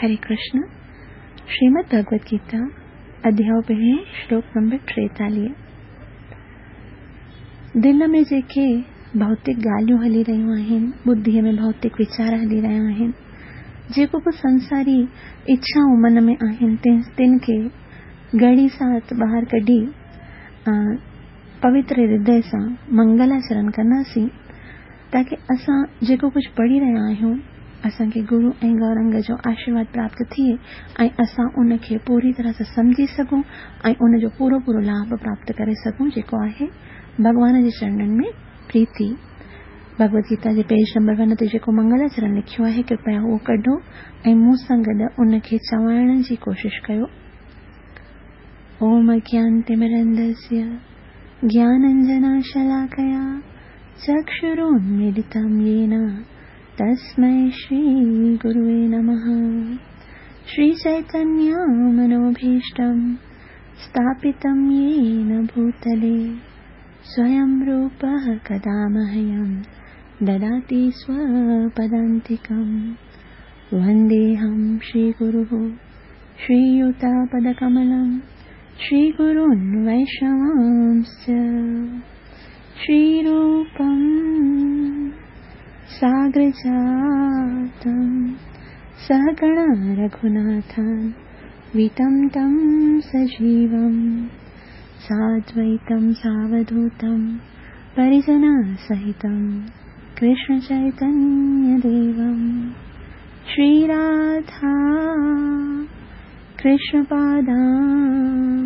هري ڪرشن، شريمد ڀڳوت گيتا، اڌياء پهريون، شلوڪ نمبر 43. دل ۾ جيڪي ڀوتڪ ڳالهيون هلي رهيون آهن، ٻڌيء ۾ ڀوتڪ ويچار هلي رهيا آهن، جيڪو به سنساري اڇائون من ۾ آهن، تن کي گهڙي ساعت ٻاهر ڪڍي پوتر هردي سان منگلاچرڻ ڪنداسين، تاڪه اسان جيڪو ڪجهه پڙهي رهيا آهيون، اسان کي گرو ۽ گورنگ جو آشيرواد پراپت ٿئي ۽ اسان ان کي پوري طرح سان سمجهي سگهون ۽ ان جو پورو پورو لاڀ پراپت ڪري سگهون، جيڪو آهي ڀڳوان جي چرڻن ۾ پريتي. ڀڳوت گيتا جي پيج نمبر 1 تي جيڪو منگلاچرڻ لکيو آهي، ڪرپيا اهو ڪڍو ۽ مون سان گڏ ان کي چوائڻ جي ڪوشش ڪيو. اوم اگيانتمرندسيه گياننجناشلاڪيا چڪشرونميلتم يين تسمي شري گروي نمه. شري چيتنيه منوڀيشٽم اسٿاپتم يين ڀوتلي سويم روپه ڪدا مهيم دداتي سوپدانتڪم. ونديهم شري گروه شري يوتپدڪملم شري گرون ويشنوانس شري روپم ساگرجاتم سهگڻ رघوناٿن ويتم تم سجيوم سادويتم ساوڌوتم پريجن سهتم ڪرشن چيتنيه ديوم. شري راڌا ڪرشن پادان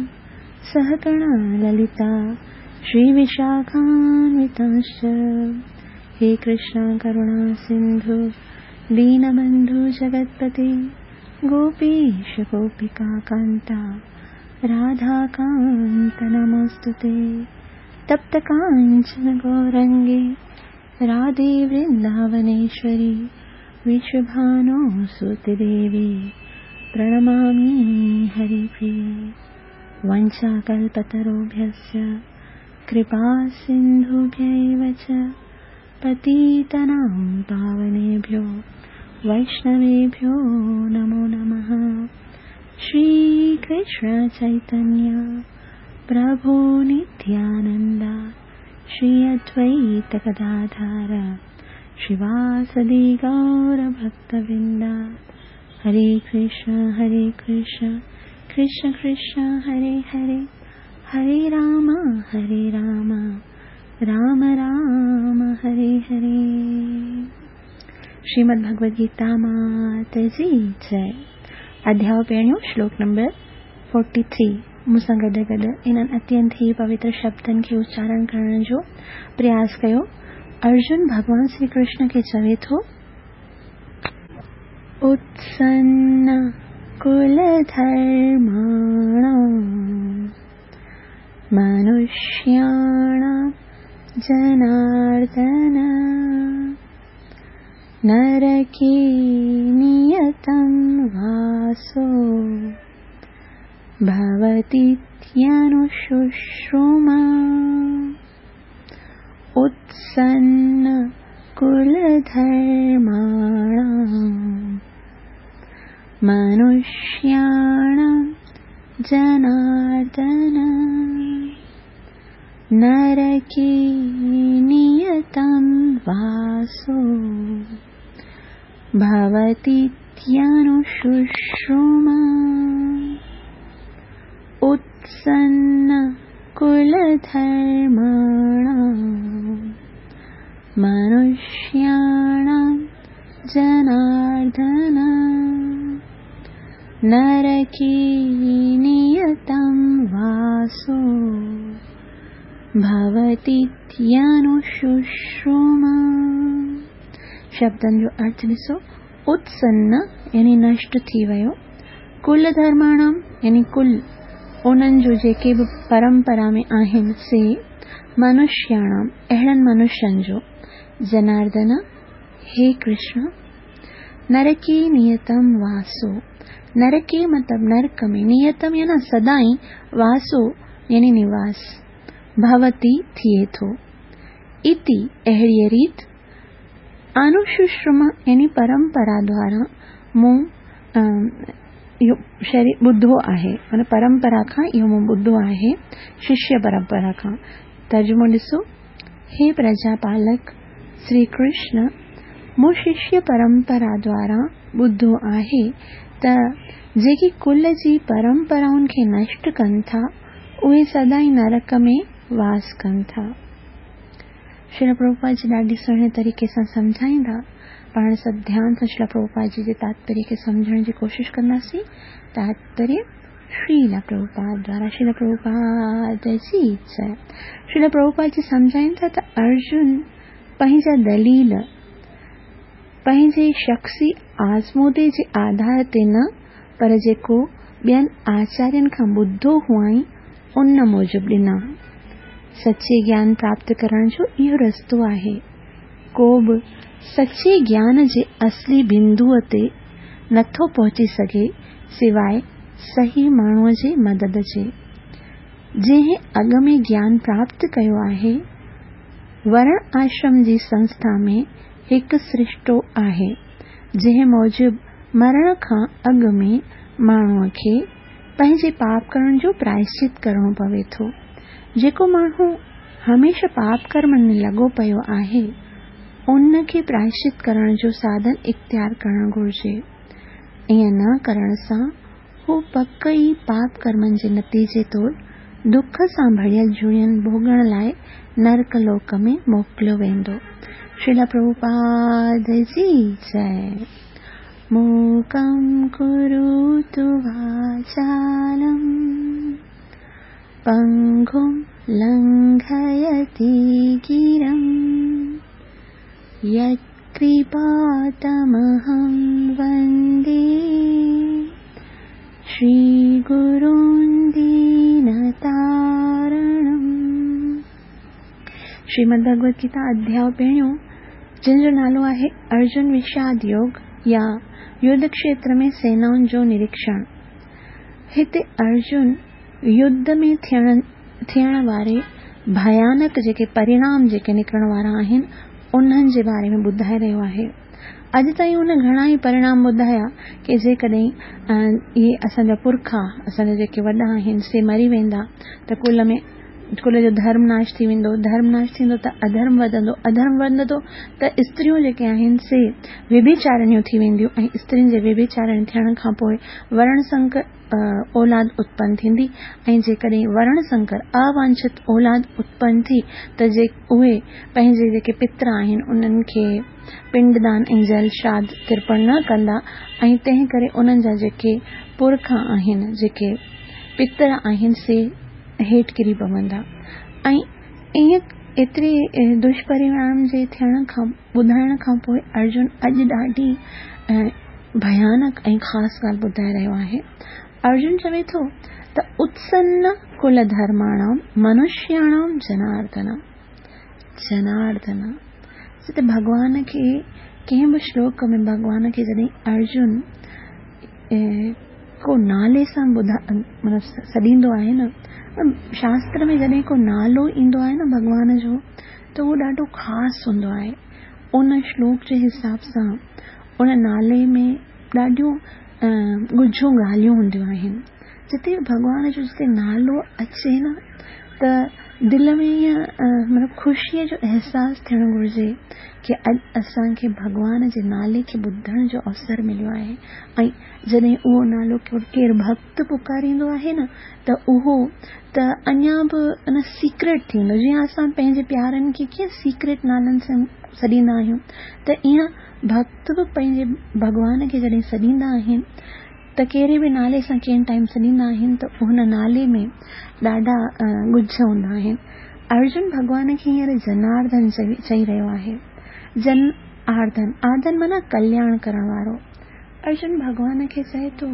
سهگڻ للتا شري وشاکانوتانش. هي ڪرشن ڪروڻا سنڌو دينبنڌو جگتپتي گوپيش گوپيڪا ڪانتا راڌا ڪانت نموستي. تپت ڪانچن گورنگي راڌي ورنداونيشوري وشڀانو سوت ديوي پرڻمامي هري پريي. ونشاڪلپتروڀيشچ ڪرپا سنڌوڀيو چ پتيتنام پاونيڀيو ويشنويڀيو نمو نمه. شري ڪرشن چيتنيه پرڀو نتيانندا شري ادويت گداڌار شريواسدي گور ڀڪتورندا. هري ڪرشن هري ڪرشن ڪرشن ڪرشن هري هري، هري رام هري رام رام رام هري هري. شريمد ڀڳوت گيتا مات جي جئي. اڌياء پهريون، شلوڪ نمبر 43. مون سان گڏ گڏ انهن اتينت ئي پوتر شبدن کي اچارڻ ڪرڻ جو پرياس ڪيو. ارجن ڀڳوان شري ڪرشن کي چوي ٿو، اتسن ڪل ڌرماڻام منشياڻام جناردن نرڪي نيتم واسو ڀوتيتيانوششروما. اتسن ڪل ڌرماڻام منشياڻام جناردن نرڪي نيتم واسو ڀوتيتيانوششروما. اتسن ڪل ڌرماڻام منشياڻام جناردن نرڪي نيتم واسو ڀوتيتيانوششروما. شبدن جو ارٿ ڏسو. اتسن يعني نشٽ ٿي ويو، ڪل ڌرماڻام يعني ڪل انهن جو جيڪي به پرمپرا ۾ آهن سي، منشياڻام اهڙن منشين جو، جناردن هي ڪرشن، نرڪي نيتم واسو، نرڪي مطلب نرڪ ۾، نيتم يعني سدائين، واسو يعني نواس، ڀوتي ٿئي ٿو، اتي اهڙيء ريت، انوششرما يعني پرمپرا دوارا مون اهو شري ٻڌو آهي معنيٰ پرمپرا کان اهو مون ٻڌو آهي ششيه پرمپرا کان. ترجمو ڏسو، هي پرجا پالڪ شري ڪرشن مون ششيه پرمپرا دوارا ٻڌو آهي ته جيڪي ڪل جي پرمپرائن کي نشٽ ڪن ٿا اهي سدائين نرڪ ۾ واس ڪن ٿا. شريل پرڀوپاد جي ڏاڍي سهڻي طريقي سان سمجهائيندا. پاڻ سڀ ڌيان سان شريل پرڀوپاد جي جي تاتپريه کي سمجهڻ جي ڪوشش ڪنداسين. تاتپريه شريل پرڀوپاد دوارا شريل پرڀوپاد جي جئه. شريل پرڀوپاد جي سمجهائين ٿا ته ارجن پنهنجا دليل پنهنجي شخصي آزمودي جي آڌار تي نه پر جيڪو ٻين آچارين کان ٻڌو هئائين ان موجب ڏنا. سچي گيان پراپت ڪرڻ جو اهو رستو آهي. ڪو به سچي گيان جي اصلي بندوء تي نٿو پهچي سگهي سواء صحيح ماڻهوء جي مدد جي، جنهن اڳ ۾ گيان پراپت ڪيو آهي. ورڻ آشرم جي سنسٿا ۾ هڪ سرشتو آهي، جنهن موجب مرڻ کان اڳ ۾ ماڻهوء کي پنهنجي پاپ ڪرڻ جو پرائشچت ڪرڻو پوي ٿو. جيڪو ماڻهو هميشه پاپ ڪرمن ۾ لڳو پيو آهي، ان کي پرائشچت ڪرڻ جو ساڌن اختيار ڪرڻ گهرجي. ائين نه ڪرڻ سان هو پڪ ئي پاپ ڪرمن جي نتيجي طور دک سان ڀريل جوڻين ڀوڳڻ لاء نرڪ لوڪ ۾ موڪليو ويندو. شريلا پرڀوپاد جي جئه. موڪم ڪروتو واچالم پنگم لنگهيتي گرم يتڪرپا تمهم وندي شري گرون دينتارڻم. شريمد ڀڳوت گيتا اڌياء پهريون جنهن جو نالو آهي ارجن وشاد يوگ يا يڌ کشيتر ۾ سينائن جو نريڪشڻ. هتي ارجن يڌ ۾ ٿيڻ واري ڀيانڪ جيڪي پرڻام جيڪي نڪرڻ وارا آهن انهن جي باري ۾ ٻڌائي رهيو آهي. اڄ تائين هن گهڻا ئي پرڻام ٻڌايا ڪي جيڪڏهن اهي اسان جا پرکا اسان جا جيڪي وڏا آهن سي مري ويندا ته ڪل ۾ ڪل جو ڌرم ناش ٿي ويندو، ڌرم ناش ٿيندو ته اڌرم وڌندو، اڌرم وڌندو ته استريون جيڪي آهن سي ويڀيچارڻيون ٿي وينديون ۽ استرين جي ويڀيچارڻي ٿيڻ کان پوء ورڻ سنڪر اولاد اتپن ٿيندي ۽ جيڪڏهن ورڻ سنڪر اوانڇت اولاد اتپن ٿي ته جي اهي پنهنجي جيڪي پتر آهن انهن کي پنڊدان ۽ جل شراڌ ترپڻ نه ڪندا ۽ تنهن ڪري انهن جا جيڪي پرکا آهن جيڪي پتر آهن سي هيٺ ڪري پوندا ۽ ائين ايتري دشپرڻام جي ٿيڻ کان ٻڌائڻ کان پوء ارجن اڄ ڏاڍي ڀيانڪ ۽ خاص ڳالهه ٻڌائي رهيو آهي. ارجن چوي ٿو ته اتسن ڪل ڌرماڻام منشياڻام جناردن جناردن جتي ڀڳوان کي ڪنهن به شلوڪ ۾ ڀڳوان کي جڏهن ارجن ڪو نالي سان ٻڌا مطلب سڏيندو آهي نه شاستر ۾ جڏهن ڪو نالو ايندو آهي نه ڀڳوان جو ته اهو ڏاڍو خاص هوندو آهي ان شلوڪ جي حساب سان ان نالي ۾ ڏاڍيون ڳجهيون ڳالهيون هونديون آهن جتي ڀڳوان جو جتي نالو اچي نه ته دل ۾ ائين مطلب خوشيء جو احساس ٿيڻ گهرجي ڪي اڄ اسان کي ڀڳوان جي نالي کي ٻڌڻ جو اوسر مليو آهي ۽ جڏهن اهو نالو ڪير ڀڳت پڪاريندو آهي نه ته اهو ته اڃا به ان سيڪريٽ ٿي ويندو جيئن اسان پنهنجي پيارن کي ڪيئن سيڪريٽ نالن سان سڏيندا آهيون ته ائين ڀڳت به پنهنجي ڀڳوان کي جڏهن سڏيندا آهن ته ڪهڙي به نالي سان ڪنهن ٽائيم سڏيندا آهن ته ان نالي ۾ ڏاڍا ڳجهه هوندا آهن. ارجن ڀڳوان کي هينئر جناردن چئي رهيو آهي. جن آرڌن، آرڌن معنيٰ ڪلياڻ ڪرڻ وارو. ارجن ڀڳوان کي چئي ٿو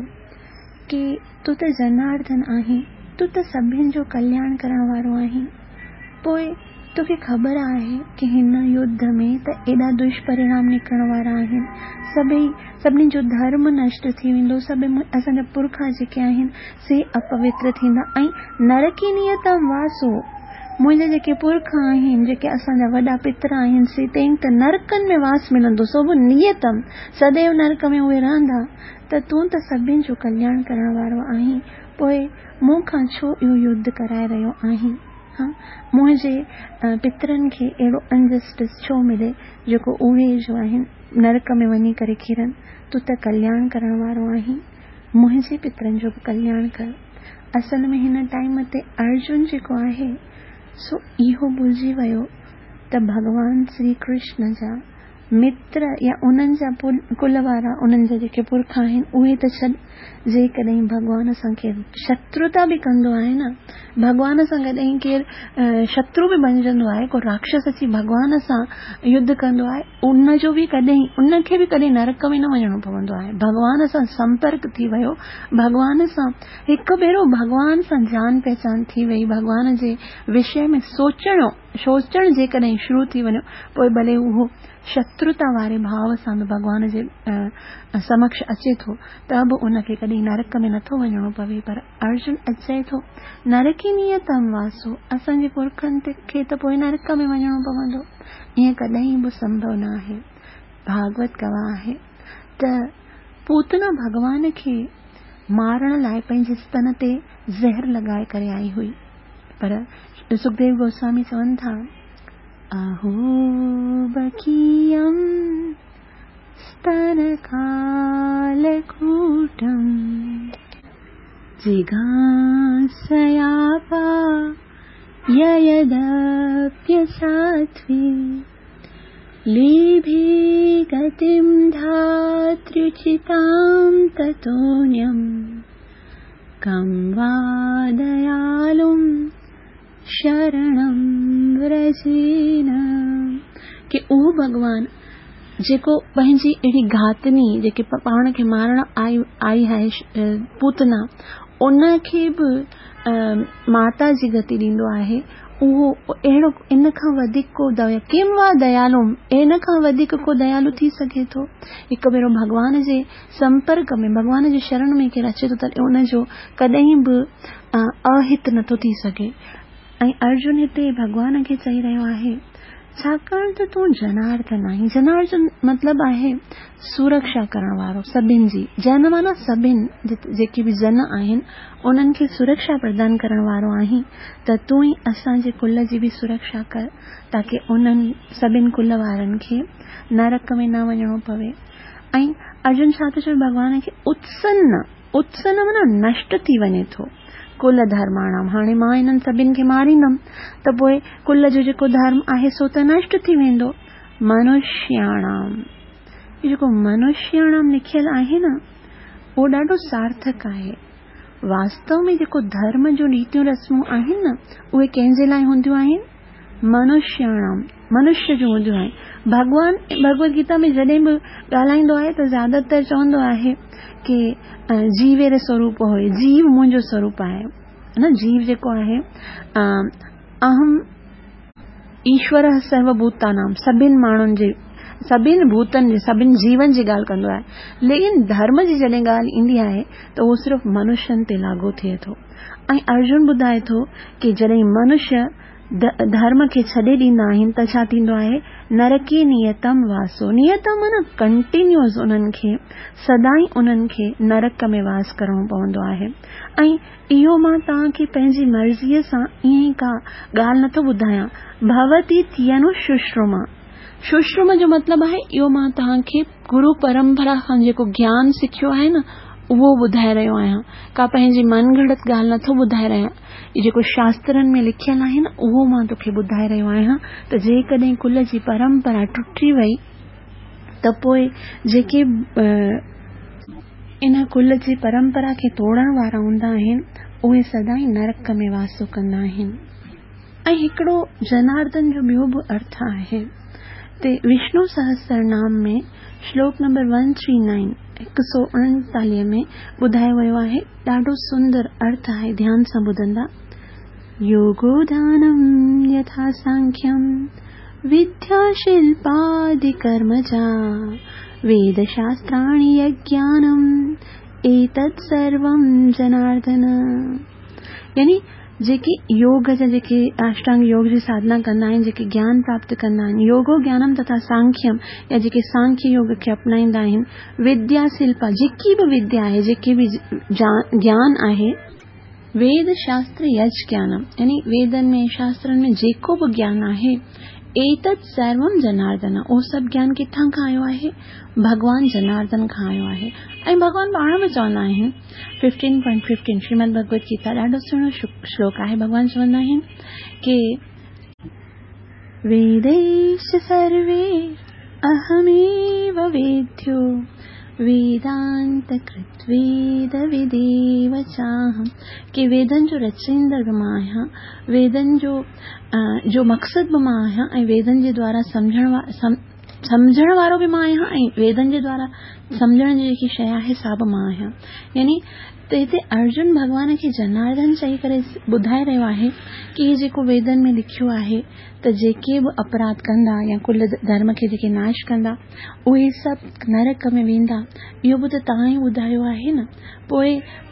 ڪي تون ته جناردن آهين، تون ته سڀن جو ڪلياڻ ڪرڻ وارو آهين. پوء توکي خبر آهي ڪي هن يڌ ۾ ته ايڏا دشپرڻام نڪرڻ وارا آهن، سڀئي، سڀني جو ڌرم نشٽ ٿي ويندو، سڀ اسان جا پرکا جيڪي آهن سي اپوتر ٿيندا ۽ نرڪي نيتم واسو، منهنجا جيڪي پرکا آهن، جيڪي اسان جا وڏا پتر آهن سي تين ته نرڪن ۾ واس ملندو، سو به نيتم، سديو نرڪ ۾ اهي رهندا. ته تون ته سڀني جو ڪلياڻ ڪرڻ وارو آهين، پوء مون کان ڇو اهو يڌ ڪرائي رهيو آهين؟ ها، منهنجي پترن کي اهڙو انجسٽس ڇو ملي جيڪو اهي جو آهن نرڪ ۾ وڃي ڪري ڪرن؟ تون ته ڪلياڻ ڪرڻ وارو آهين، منهنجي پترن جو به ڪلياڻ ڪر. اصل ۾ هن ٽائيم تي ارجن جيڪو آهي سو اهو ڀلجي ويو ته ڀڳوان شري ڪرشن جا متر يا انهن جا ڪل وارا، انهن جا جيڪي پرک آهن، اهي ته ڇڏ، جيڪڏهن ڀڳوان سان ڪير شتروتا به ڪندو آهي نه، ڀڳوان سان ڪڏهن ڪير شترو به بڻجندو آهي، ڪو راڪشس اچي ڀڳوان سان يڌ ڪندو آهي، ان جو به ڪڏهن، ان کي به ڪڏهن نرڪ ۾ نه وڃڻو پوندو آهي. ڀڳوان سان سمپرڪ ٿي ويو، ڀڳوان سان هڪ ڀيرو ڀڳوان سان جان پهچان ٿي وئي، ڀڳوان جي وشي ۾ سوچڻو، سوچڻ جيڪڏهن شروع ٿي وڃو، پوء ڀلي اهو شتروتا واري ڀاو سان به ڀڳوان جي سمڪش اچي ٿو ته به ان کي ڪڏهن نرڪ ۾ نٿو وڃڻو پوي. پر ارجن اچي ٿو نرڪي نيتم واسو، اسان جي پرکن کي ته پوء نرڪ ۾ وڃڻو پوندو. ائين ڪڏهن به سنڀو نه آهي. ڀاڳوت گواهه آهي ته پوتنا ڀڳوان کي مارڻ لاء پنهنجي ستن تي زهر لڳائي ڪري آئي هئي. پر سکديو گوسوامي چون ٿا، اهو بڪيم ستن ڪالڪوٽم جگهاسياپا يدپيساٿوي ليڀي گتم ڌاتريچتام تتونيم ڪم وا ديالم شرڻم ورجين. ڪي اهو ڀڳوان جيڪو پنهنجي اهڙي گهاتني جيڪي پاڻ کي مارڻ آئي آئي آهي پوتنا ان کي به ماتا جي گتي ڏيندو آهي اهو اهڙو ان کان وڌيڪ ڪو ديا ڪم وا ديالو ان کان وڌيڪ ڪو ديالو ٿي سگهي ٿو؟ هڪ ڀيرو ڀڳوان جي سمپرڪ ۾ ڀڳوان جي شرڻ ۾ ڪير اچي ٿو ته ان جو ڪڏهن به اهت نٿو ٿي سگهي. ۽ ارجن هتي ڀڳوان کي چئي رهيو آهي، ڇاڪاڻ ته تون جناردن آهين. جناردن مطلب آهي سرڪشا ڪرڻ وارو سڀن جي. جن معنيٰ سڀن، جيڪي به جن آهن، انهن کي سرڪشا پردان ڪرڻ وارو آهين ته تون ئي اسان جي ڪل جي به سرڪشا ڪر تاڪه انهن سڀن ڪل وارن کي نرڪ ۾ نه وڃڻو پوي. ۽ ارجن ڇا ٿو چوي ڀڳوان کي اتسن، اتسن معنيٰ نشٽ ٿي وڃي ٿو ڪل ڌرماڻام، هاڻي مان انهن سڀن کي ماريندم ته پوء ڪل جو جيڪو ڌرم آهي سو ته نشٽ ٿي ويندو. منشياڻام، هي جيڪو منشياڻام لکيل آهي نه اهو ڏاڍو سارٿڪ آهي. واستو ۾ جيڪو ڌرم جون ريتيون رسمون آهن نه اهي ڪنهن جي لاء هونديون آهن؟ منشياڻام، منشي جون هونديون آهن. ڀڳوان ڀڳوت گيتا ۾ جڏهن به ڳالهائيندو آهي ته زياده تر چوندو آهي ڪي جيوير سوروپ هوئي، جيو منهنجو سوروپ آهي نه، جيو جيڪو آهي اهم ايشور سرو ڀوتانام، سڀن ماڻهن جي، سڀن ڀوتن جي، سڀن جيون جي ڳالهه ڪندو آهي. ليڪن ڌرم جي جڏهن ڳالهه ايندي آهي ته اهو صرف منشين تي لاڳو ٿئي ٿو. ۽ ارجن ٻڌائي ٿو ڪي جڏهن منشي ڌرم کي ڇڏي ڏيندا آهن ته ڇا ٿيندو آهي؟ نرڪي نيتم واسو، نيتم معنيٰ ڪنٽينيوس انهن کي سدائين انهن کي نرڪ ۾ واس ڪرڻو پوندو آهي. ۽ اهو مان توهان کي پنهنجي مرضيء سان ائين ئي ڪا ڳالهه نٿو ٻڌايان، ڀوتي ٿينو ششرما، ششرما جو مطلب آهي اهو مان توهان کي گرو پرمپرا کان جيڪو گيان سکيو آهي نه اهو ٻڌائي رهيو آهيان، ڪا پنهنجي من گهڙت ڳالهه نٿو ٻڌائي رهيان، هي جيڪو شاسترن ۾ لکيل آهي نه اهو مان توکي ٻڌائي رهيو آهيان ته جيڪڏهن ڪل جي پرمپرا ٽٽي وئي ته پوء جيڪي ان ڪل جي پرمپرا کي ٽوڙڻ وارا هوندا آهن اهي سدائين نرڪ ۾ واسو ڪندا آهن. ۽ هڪڙو جناردن جو ٻيو به ارٿ آهي تي وشنو سهسرنام ۾ شلوڪ نمبر ون ٿري نائين، 139، ۾ ٻڌايو ويو آهي، ڏاڍو سندر ارٿ آهي ڌيان سان ٻڌندا. يوگو ڌيانم يٿا سانکيم وديا شلپادي ڪرمجا ويد شاستراڻي يگيانم ايتت سروم جناردن. يعني جيڪي يوگ جا جيڪي اشٽانگ يوگ جي ساڌنا ڪندا آهن، جيڪي گيان پراپت ڪندا آهن، يوگو گيانم تٿا سانکيم يا جيڪي سانکيه يوگ کي اپنائيندا آهن، وديا شلپا جيڪي به وديا آهي، جيڪي به گيان آهي، ويد شاستر يج گيانم يعني ويدن ۾ شاسترن ۾ جيڪو به گيان آهي، ايتت سروم جناردن اهو سڀ گيان ڪٿان کان آيو آهي؟ ڀڳوان جناردن کان آيو آهي ۽ ڀڳوان پاڻ به چوندا آهن 15.15 شريمد ڀڳوت گيتا ڏاڍو سهڻو شلوڪ آهي ڀڳوان چوندا آهن ڪي ويديش سروي اهميو ويديو ويدانت ڪرت ويد وديو چاهم ڪي ويدن جو رچائيندڙ به مان آهيان ويدن جو جو مقصد به مان آهيان ۽ ويدن جي دوارا سمجهڻ سمجهڻ وارو به مان آهيان ۽ ويدن جي دوارا سمجهڻ جي جيڪي شيء آهي سا به مان آهيان يعني ته هتي ارجن ڀڳوان کي جناردن چئي ڪري ٻڌائي رهيو آهي ڪي هي جيڪو ويدن ۾ لکيو آهي ته جيڪي به اپراڌ ڪندا يا ڪل ڌرم کي جيڪي ناش ڪندا اهي سڀ نرڪ ۾ ويندا اهو به ته توهان ئي ٻڌايو آهي نه پوء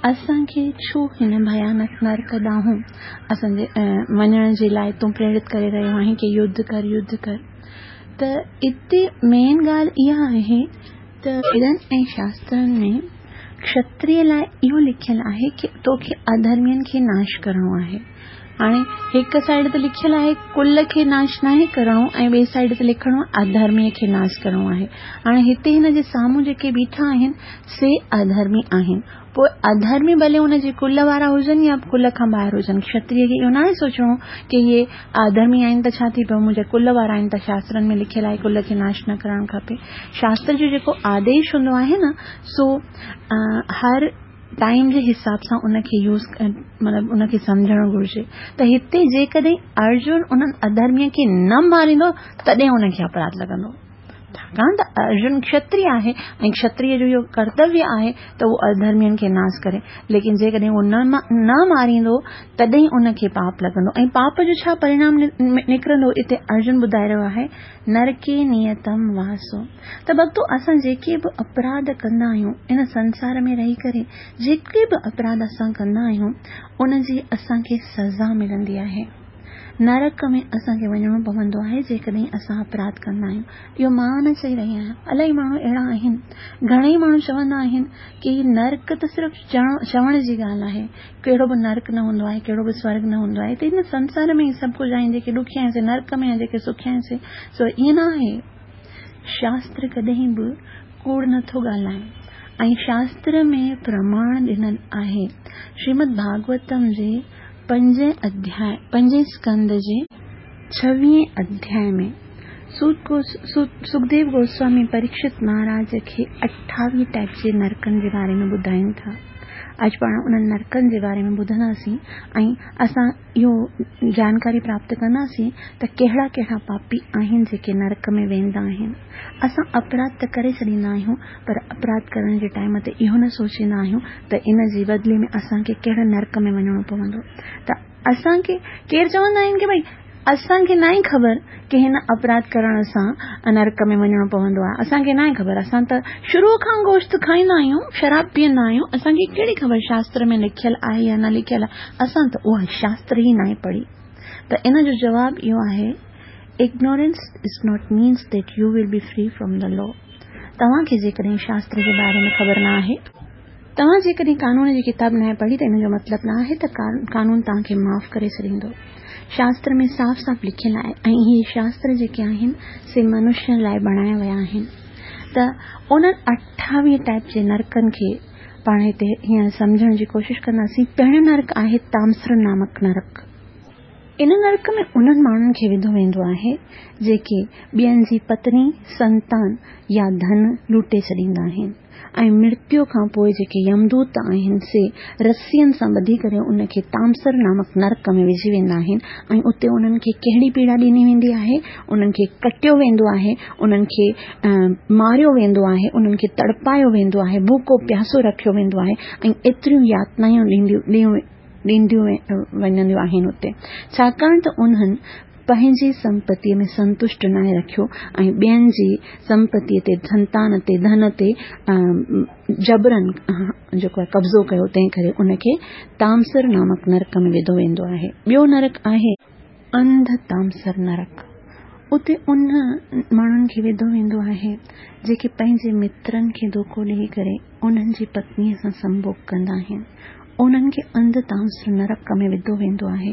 اسان کي ڇو هن ڀيانڪ نرڪ ڏانهن اسان جي وڃڻ جي لاء تون پريرت ڪري رهيو آهين ڪي يڌ ڪر يڌ ڪر ته اتي مين ڳالهه اها آهي ته ويدن ۽ شاسترن ۾ ڪشتريه لاء اهو لکيل آهي ڪي توکي اڌرمين کي ناش ڪرڻو آهي. هاڻي هڪ سائيڊ تي لکيل آهي ڪل کي ناش ناهي ڪرڻو ۽ ٻئي سائيڊ تي لکڻو اڌرمي کي ناش ڪرڻو آهي. هاڻي هتي هن جي سامهون جيڪي بيٺا آهن سي اڌرمي آهن. پوء اڌرمي ڀلي ان جي ڪل وارا هجن يا ڪل کان ٻاهر هجن. ڪشتريه کي اهو ناهي سوچڻو ڪي اهي اڌرمي آهن ته ڇا ٿي پيو منهنجي ڪل وارا آهن ته شاسترن ۾ لکيل آهي ڪل کي ناش نه ڪرڻ کپي. شاستر جو جيڪو آديش هوندو آهي نه سو هر ٽائيم جي حساب سان ان کي يوز مطلب ان کي سمجهڻ گهرجي ته هتي جيڪڏهن ارجن انهن اڌرمي کي نه ماريندو تڏهن ان کي اپراڌ لڳندو. ڇاڪاڻ ته ارجن کشتري آهي ۽ کشتري جو اهو ڪرتويه آهي ته اهو اڌرمين کي ناس ڪري ليڪن جيڪڏهن اهو نه ماريندو تڏهن ان کي پاپ لڳندو ۽ پاپ جو ڇا پرڻام نڪرندو اتي ارجن ٻڌائي رهيو آهي نرڪي نيتم واسو ته ڀڳتو اسان جيڪي به اپراڌ ڪندا آهيون ان سنسار ۾ رهي ڪري جيڪي به اپراڌ اسان ڪندا آهيون ان جي اسان کي سزا ملندي آهي. نرڪ ۾ اسان کي وڃڻو پوندو آهي جيڪڏهن اسان اپراڌ ڪندا آهيون. اهو مان نه چئي رهي آهيان. الاهي ماڻهو اهڙا آهن. گهڻئي ماڻهو چوندا آهن ڪي هي نرڪ ته صرف چوڻ جي ڳالهه آهي. ڪهڙو به نرڪ نه هوندو آهي، ڪهڙو به سورڳ نه هوندو آهي ته هن سنسار ۾ ئي سڀ ڪجهه آهن جيڪي ڏکيا آهن سي نرڪ ۾ ۽ جيڪي سکيا آهن سي سو ائين نه آهي. شاستر ڪڏهن به ڪوڙ نه ٿو ڳالهائي ۽ شاستر ۾ پرماڻ ڏنل آهي. شريمد ڀاڳوتم جي پنجين اڌياء، پنجين اسڪنڌ جي ڇويهين اڌياء ۾ سکديو گوسوامي پريڪشت مهاراج کي 28 ٽائپ جي نرڪن جي باري ۾ ٻڌائين ٿا. اڄ پاڻ انهن نرڪن جي باري ۾ ٻڌنداسين ۽ اسان اهو جانڪاري پراپت ڪنداسين ته ڪهڙا ڪهڙا پاپي آهن جيڪي نرڪ ۾ ويندا آهن. اسان اپراڌ ته ڪري ڇڏيندا آهيون پر اپراڌ ڪرڻ جي ٽائيم تي اهو نه سوچيندا آهيون ته ان جي بدلي ۾ اسان کي ڪهڙي نرڪ ۾ وڃڻو پوندو ته اسان کي ڪير چوندا آهن ڪي ڀئي اسان کي ناهي خبر ڪي هن اپراڌ ڪرڻ سان نرڪ ۾ وڃڻو پوندو آهي اسان کي ناهي خبر اسان ته شروع کان گوشت کائيندا آهيون شراب پيئندا آهيون اسان کي ڪهڙي خبر شاستر ۾ لکيل آهي يا نه لکيل آهي اسان ته اها شاستر ئي ناهي پڙهي ته ان جو جواب اهو آهي Ignorance is not means that you will be free from the law. توهان کي جيڪڏهن شاستر جي باري ۾ خبر نه آهي، توهان جيڪڏهن قانون جي ڪتاب ناهي پڙهي ته ان جو مطلب نه آهي ته قانون توهان کي معاف ڪري ڇڏيندو. شاستر ۾ صاف صاف لکيل آهي ۽ اهي شاستر جيڪي آهن سي منشين لاء بڻايا ويا آهن ته انهن 28 ٽائپ جي نرڪن کي پاڻ هتي هينئر سمجهڻ جي ڪوشش ڪنداسين. پهريون نرڪ آهي تامسر نامڪ نرڪ. ان نرڪ ۾ انهن ماڻهن کي وڌو ويندو آهي، جيڪي ٻين جي پتني، سنتان يا ڌن لوٽي ڇڏيندا آهن ۽ مرتيو کان پوء جيڪي يمدوت آهن سي رسين سان ٻڌي ڪري ان کي تامسر نامڪ نرڪ ۾ وجهي ويندا آهن ۽ اتي انهن کي ڪهڙي پيڙا ڏني ويندي آهي، انهن کي ڪٽيو ويندو آهي، انهن کي ماريو ويندو آهي، انهن کي تڙپايو ويندو آهي، ڀوڪو پياسو رکيو ويندو آهي ۽ ايتريون ياتنايون ڏينديون ڏينديون وڃنديون آهن اتي ڇاڪاڻ ته انهن پنهنجي سمپتيء ۾ سنتشٽ ناهي رکيو ۽ ٻين جي سمپتيء تي، سنتان تي، ڌن تي جبرن جيڪو آهي قبضو ڪيو، تنهن ڪري ان کي تامسر نامڪ نرڪ ۾ وڌو ويندو آهي. ٻيو نرڪ آهي. انڌ تامسر نرڪ، اتي ان ماڻهن کي وڌو ويندو آهي، جيڪي پنهنجي مترن کي ڌوڪو ڏيئي ڪري انهن جي پتنيء سان سنڀوڳ ڪندا آهن. انهن کي انڌ تامسر نرڪ ۾ وڌو ويندو آهي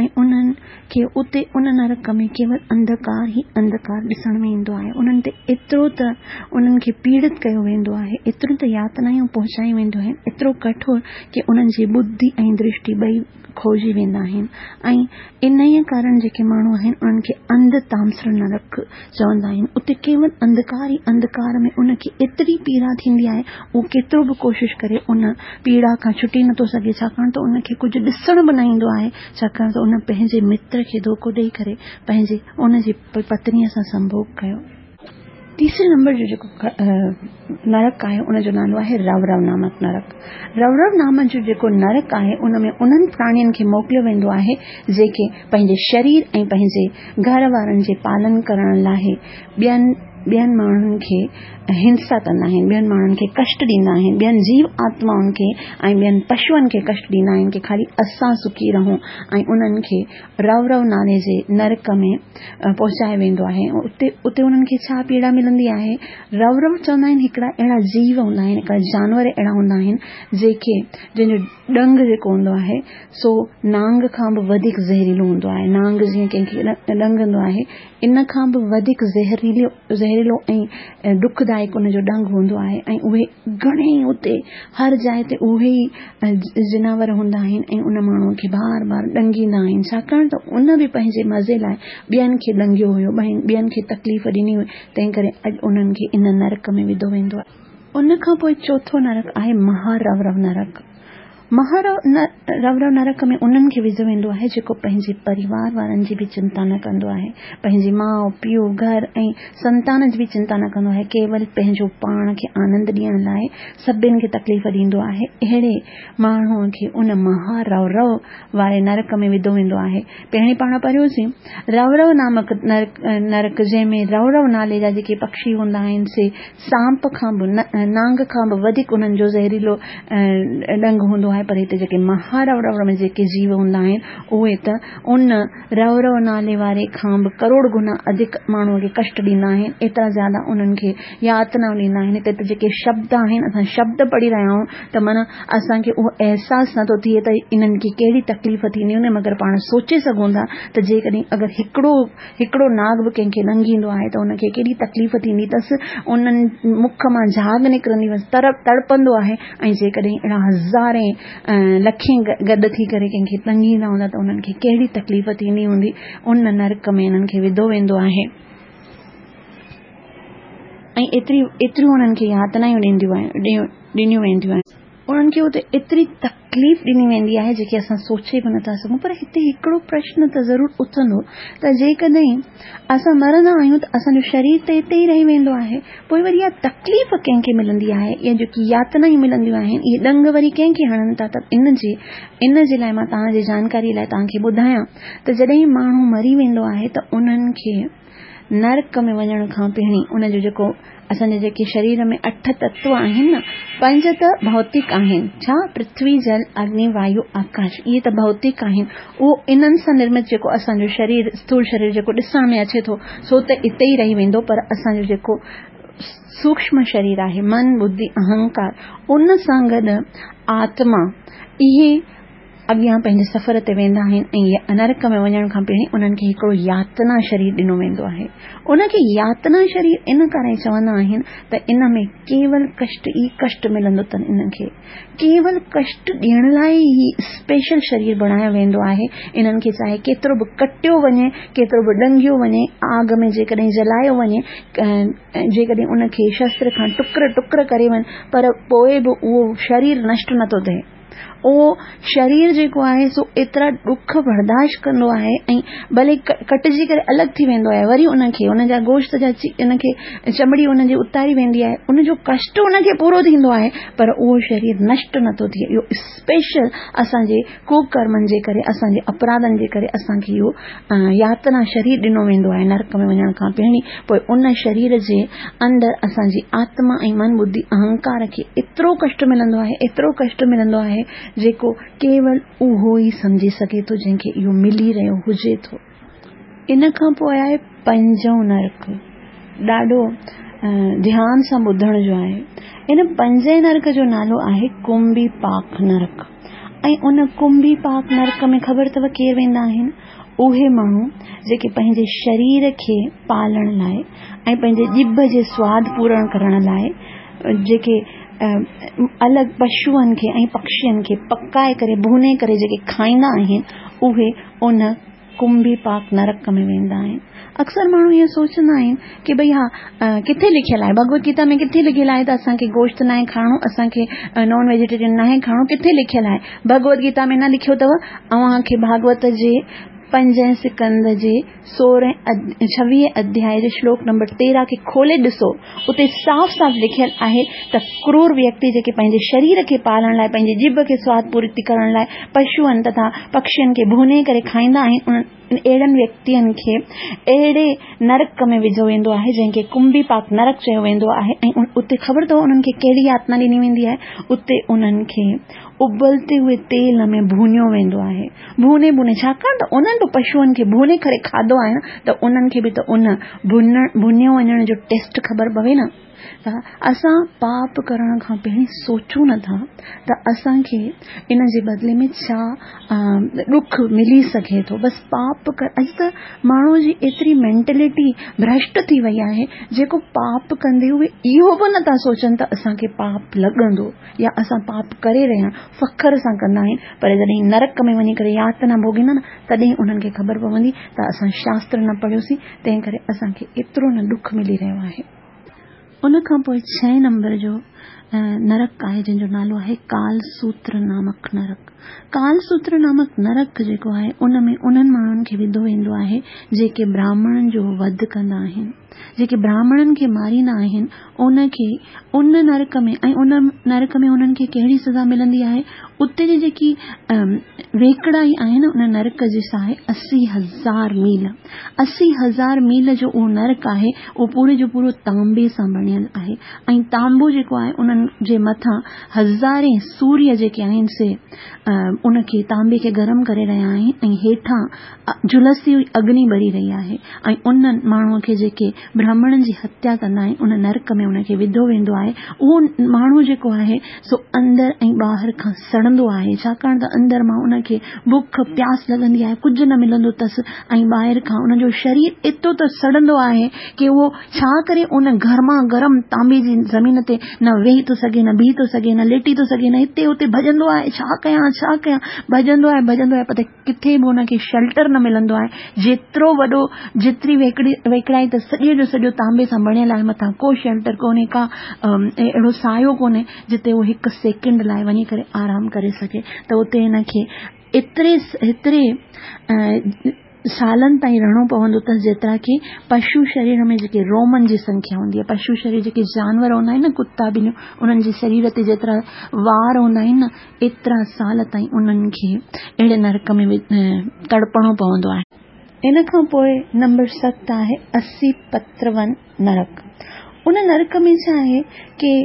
۽ انهن کي اتي ان نرڪ ۾ ڪيول انڌڪار ئي انڌڪار ڏسڻ ۾ ايندو آهي. انهن تي ايترو ته انهن کي پيڙت ڪيو ويندو آهي، ايتريون ته ياتنايون پهچايون وينديون آهن، ايترو ڪٺور ڪي انهن جي ٻڌي ۽ درشٽي ٻئي کوئجي ويندا آهن ۽ انهيء ڪارڻ جيڪي ماڻهو آهن انهن کي انڌ تامسر نرڪ چوندا آهن. اتي ڪيول انڌڪار ئي انڌڪار ۾ ان کي ايتري پيڙا ٿيندي آهي، اهو ڪيترو به ڪوشش ڪري ان پيڙا کان ڇٽي نٿو سگهي، ڇاڪاڻ ته ان کي ڪجهه ڏسڻ به نه ايندو آهي، ڇاڪاڻ ته ان پنهنجي متر کي ڌوڪو ڏئي ڪري پنهنجي ان جي پتنيء سان سنڀوڳ ڪيو. تيسري نمبر جو جيڪو نرڪ آهي ان جو نالو آهي رورو نامڪ نرڪ. رورو نامڪ جو جيڪو نرڪ آهي ان ۾ انهن پراڻين کي موڪليو ويندو آهي جيڪي پنهنجي شرير ۽ پنهنجي گهر وارن جي پالن ڪرڻ لاء ٻين ٻين ماڻهن کي هنسا ڪندا آهن، ٻين ماڻهن کي ڪشٽ ڏيندا آهن، ٻين جيو آتمائن کي ۽ ٻين پشوئن کي ڪشٽ ڏيندا آهن ڪي خالي اسان سکي رهون ۽ انهن کي رورو نالي جي نرڪ ۾ پهچايو ويندو آهي ۽ اتي اتي انهن کي ڇا پيڙا ملندي آهي؟ رورو چوندا آهن هڪڙا اهڙا جيو هوندا آهن هڪڙا جانور اهڙا هوندا آهن جيڪي جن جو ڏنگ جيڪو هوندو آهي سو نانگ کان به وڌيڪ زهريلو هوندو آهي نانگ جيئن ڪنهن کي ڏنگندو آهي ان کان به وڌيڪ زهريلو زهريلو ۽ دکدائڪ ان جو ڏنگ هوندو آهي ۽ اهي گهڻي ئي اتي هر جاء تي اهي ئي جناور هوندا آهن ۽ ان ماڻهوء کي بار بار ڏنگيندا آهن ڇاڪاڻ ته ان به پنهنجي مزي لاء ٻين کي ڏنگيو هيو ٻين کي تڪليف ڏني هئي تنهن ڪري اڄ انهن کي ان نرڪ ۾ وڌو ويندو آهي. ان کان پوء چوٿون نرڪ آهي مها رورو نرڪ. مها رورو نرڪ ۾ انهن کي وڌو ويندو آهي جيڪو پنهنجي پريوار وارن جي به چنتا نه ڪندو آهي، پنهنجي ماء، پيء، گهر ۽ سنتان جي به چنتا نه ڪندو آهي، ڪيول پنهنجو پاڻ کي آنند ڏيڻ لاء سڀن کي تڪليف ڏيندو آهي، اهڙي ماڻهوء کي ان مها رورو واري نرڪ ۾ وڌو ويندو آهي. پهرين پاڻ پڙهيوسين رورو نامڪ نرڪ جنهن ۾ رورو نالي جا جيڪي پکي هوندا آهن سي سانپ کان به نانگ کان به وڌيڪ انهن جو زهريلو ڏنگ هوندو آهي پر هتي جيڪي مها رورو ۾ جيڪي جيو هوندا آهن اهي ته ان رورو نالي واري کان به ڪروڙ گنا اڌڪ ماڻهوء کي ڪشٽ ڏيندا آهن ايترا زياده انهن کي ياتنائون ڏيندا آهن هتي ته جيڪي شبد آهن اسان شبد پڙهي رهيا آهيون ته معنيٰ اسان کي اهو احساس نٿو ٿئي ته انهن کي ڪهڙي تڪليف ٿيندي هوندي مگر پاڻ سوچي سگهون ٿا ته جيڪڏهن اگر هڪڙو هڪڙو ناگ به ڪنهن کي ڏنگيندو آهي ته ان کي ڪيڏي تڪليف ٿيندي اٿس انهن مک مان جهاگ نڪرندي بس تڙپندو آهي ۽ جيڪڏهن اهڙا هزارين لکين گڏ ٿي ڪري ڪنهن کي ڏنگيندا هوندا ته انهن کي ڪهڙي تڪليف ٿيندي هوندي ان نرڪ ۾ انهن کي وڌو ويندو آهي ۽ ايتري ايتريون انهن کي ياتنائون ڏينديون آهن ڏنيون وينديون آهن. انهن کي اتي ايتري تڪليف ڏني ويندي آهي جيڪي اسان سوچي به نٿا سگهون پر هتي هڪڙو پرشن ته ضرور اٿندو ته جيڪڏهن اسان مرندا آهيون ته اسان جو شرير ته اتي ئي رهي ويندو آهي پوء وري اها تڪليف ڪنهن کي ملندي آهي يا جيڪي ياتنائون ملنديون آهن اهي ڏنگ وري ڪنهن کي هڻن ٿا ته ان جي ان جي لاء مان توهان جي جانڪاري لاء توهان کي ٻڌايان ته جڏهن ماڻهو مري ويندو آهي ته انهن کي نرڪ ۾ وڃڻ کان پهرين ان جو جيڪو اسان جي جيڪي شرير ۾ اٺ تتو آهن نه پنج ته ڀوتڪ آهن ڇا پرٿوي جل اگني وايو آڪاش اهي ته ڀوتڪ آهن اهو انهن سان نرمت جيڪو اسان جو شرير اسٿول شرير جيڪو ڏسڻ ۾ اچي ٿو سو ته اتي ئي رهي ويندو پر اسان جو جيڪو سوڪشم شرير آهي من ٻڌي اهنڪار ان سان گڏ آتما اهي اڳيان پنهنجي سفر تي ويندا آهن ۽ نرڪ ۾ وڃڻ کان پهرين انهن کي هڪڙو ياتنا شرير ڏنو ويندو آهي. ان کي ياتنا شرير ان ڪري چوندا آهن ته ان ۾ ڪيول ڪشٽ ئي ڪشٽ ملندو اٿن انهن کي ڪيول ڪشٽ ڏيڻ لاء ئي هي اسپيشل شرير بڻايو ويندو آهي. انهن کي چاهي ڪيترو به ڪٽيو وڃي، ڪيترو به ڏنگيو وڃي، آگ ۾ جيڪڏهن جلايو وڃي، جيڪڏهن ان کي شستر کان ٽڪر ٽڪر ڪري وڃ پر پوء به اهو شرير نشٽ نٿو ٿئي. اهو شرير جيڪو آهي سو ايترا ڏک برداشت ڪندو آهي ۽ ڀلي ڪٽجي ڪري الڳ ٿي ويندو آهي وري ان کي ان جا گوشت جا ان کي چمڙي ان جي اتاري ويندي آهي ان جو ڪشٽ ان کي پورو ٿيندو آهي پر اهو شرير نشٽ نٿو ٿئي. اهو اسپيشل اسان جي ڪوڪرمن جي ڪري، اسان جي اپراڌن جي ڪري اسان کي اهو ياتنا شرير ڏنو ويندو آهي نرڪ ۾ وڃڻ کان پهرين. پوء ان شرير جي اندر اسان جي آتما ۽ من ٻڌي اهنڪار کي ايترو ڪشٽ ملندو آهي، ايترو ڪشٽ ملندو آهي جيڪو ڪيول اهو ئي سمجهي سگهي ٿو جنهن کي اهو ملي رهيو هجي ٿو. ان کان پوء آهي پنجون نرڪ. ڏاڍو ڌيان سان ٻڌڻ جو آهي. ان پنجين نرڪ جو نالو آهي ڪنڀي پاڪ نرڪ. ۽ ان ڪنڀي پاڪ نرڪ ۾ خبر اٿو ڪير ويندا آهن؟ اهي ماڻهو جيڪي پنهنجي شرير کي پالڻ لاء ۽ پنهنجي ڄڀ جي سواد پورڻ ڪرڻ لاء جيڪي الڳ پشوئن کي ۽ پکشين کي پڪائي ڪري ڀوني ڪري جيڪي کائيندا آهن اهي ان ڪنڀي پاڪ نرڪ ۾ ويندا آهن. اڪثر ماڻهو ائين سوچندا آهن ڪي ڀئي ها ڪٿي لکيل آهي ڀڳوت گيتا ۾ ڪٿي لکيل آهي ته اسان کي گوشت ناهي کائڻو اسان کي نان ويجيٽيرين ناهي کائڻو ڪٿي لکيل آهي ڀڳوت گيتا ۾ نه لکيو اٿو اوهان کي ڀاڳوت جي پنجين سڪنڌ جي سورهين ڇويهين اڌياء جي شلوڪ نمبر 13 کي کولي ڏسو اتي صاف صاف لکيل آهي ته ڪرور ويڪتي جيڪي پنهنجي شرير کي پالڻ لاء پنهنجي ڄڀ کي سواد پورتي ڪرڻ لاء پشوئن تٿا پکشين کي ڀوني ڪري کائيندا آهن انهن اهڙن ويڪتين کي اهڙي نرڪ ۾ وجهيو ويندو آهي جنهن کي ڪنڀي پاڪ نرڪ چيو ويندو آهي ۽ اتي خبر اٿو انهن کي ڪهڙي ياتنا ڏني ويندي آهي اتي انهن کي ابلتي هئي تيل ۾ ڀونيو ويندو آهي ڀوني ڀوني ڇاڪاڻ ته انهن به پشوئن کي ڀوني ڪري کاڌو آهي نه ته انهن کي به ته ان ڀونيو وڃڻ جو ٽيسٽ خبر پوي نه ته اسان پاپ ڪرڻ کان پهرين سوچون نه ٿا ته اسان کي ان جي بدلي ۾ ڇا ڏک ملي سگهي ٿو بس پاپ ڪر اڄ ته ماڻهو جي ايتري مينٽلٽي ڀرشٽ ٿي وئي آهي جيڪو پاپ ڪندي اهي اهو به نٿا سوچن ته اسان کي پاپ لڳندو يا اسان پاپ ڪري رهيا آهيون فخر سان ڪندا آهن پر جڏهن نرڪ ۾ وڃي ڪري ياتنا ڀوڳيندا نه تڏهن انهن کي خبر پوندي ته اسان شاستر نه پڙهيوسين تنهن ڪري اسان کي ايترو نه ڏک ملي رهيو آهي. ان کان پوء ڇهين نمبر جو نرڪ آهي جنهن جو نالو آهي ڪال سوتر نامڪ نرڪ. ڪال سوتر نامڪ نرڪ جيڪو آهي ان ۾ انهن ماڻهن کي وڌو ويندو آهي جيڪي براهمڻن جو وڌ ڪندا آهن. جيڪي براهمڻن کي ماريندا آهن ان کي ان نرڪ ۾ ۽ ان نرڪ ۾ انهن کي ڪهڙي سزا ملندي آهي اتي جي جيڪي ويڪڙائي آهي نه ان نرڪ جي سا آهي 80,000 ميل. 80,000 ميل جو اهو نرڪ آهي اهو پوري جو پورو تانبي سان بڻيل آهي ۽ تانبو جيڪو آهي انهن جي مٿان هزارين سوريه جيڪي آهن سي ان کي تانبي کي گرم ڪري رهيا آهن ۽ هيٺان جهلسي هئي اگني ٻري رهي آهي ۽ انهن ماڻهن کي جيڪي برهمڻن جي هتيا ڪندا آهن ان نرڪ ۾ ان کي وڌو ويندو آهي اهو ماڻهو جيڪو آهي سو اندر ۽ ٻاهر کان سڙندو آهي، ڇاڪاڻ ته اندر مان ان کي بک پياس لڳندي آهي، ڪجهه نه ملندو اٿس ۽ ٻاهر کان ان جو شرير ايترو ته سڙندو آهي ڪي اهو ڇا ڪري ان گرما گرم تانبي جي زمين تي نه ويهي ٿو سگهي، نه بيهي ٿو سگهي، نه ليٽي ٿو سگهي، نه هتي هتي ڀڄندو آهي، ڇا ڪيان ڇا ڪيان ڀڄندو آهي ڀڄندو آهي پر ڪٿي به ان کي شيلٽر نه ملندو آهي، جيترو وڏو جيتري ويڪڙي ويڪڙائي ته سڄي جو سڄو تانبي سان بڻيل آهي مٿان ڪو شيلٽر ڪونهي ڪا اهڙو سايو ڪونهي جتي هو هڪ سيڪنڊ لاء وڃي ڪري آرام ڪري سگهي ته اتي هن کي ايتري ايتري سالن تائين رهڻو پوندو اٿس جيترا ڪي پشو شرير ۾ جيڪي رومن جي سنکيا هوندي آهي پشو شرير جيڪي جانور هوندا آهن نه ڪتا ٻليون انهن جي شرير تي جيترا وار هوندا آهن نه ايترا سال تائين انهن کي اهڙي نرڪ ۾ تڙپڻو پوندو آهي. ان کان پوء نمبر 7 آهي 80 پترون نرڪ. ان نرڪ ۾ ڇا آهي ڪي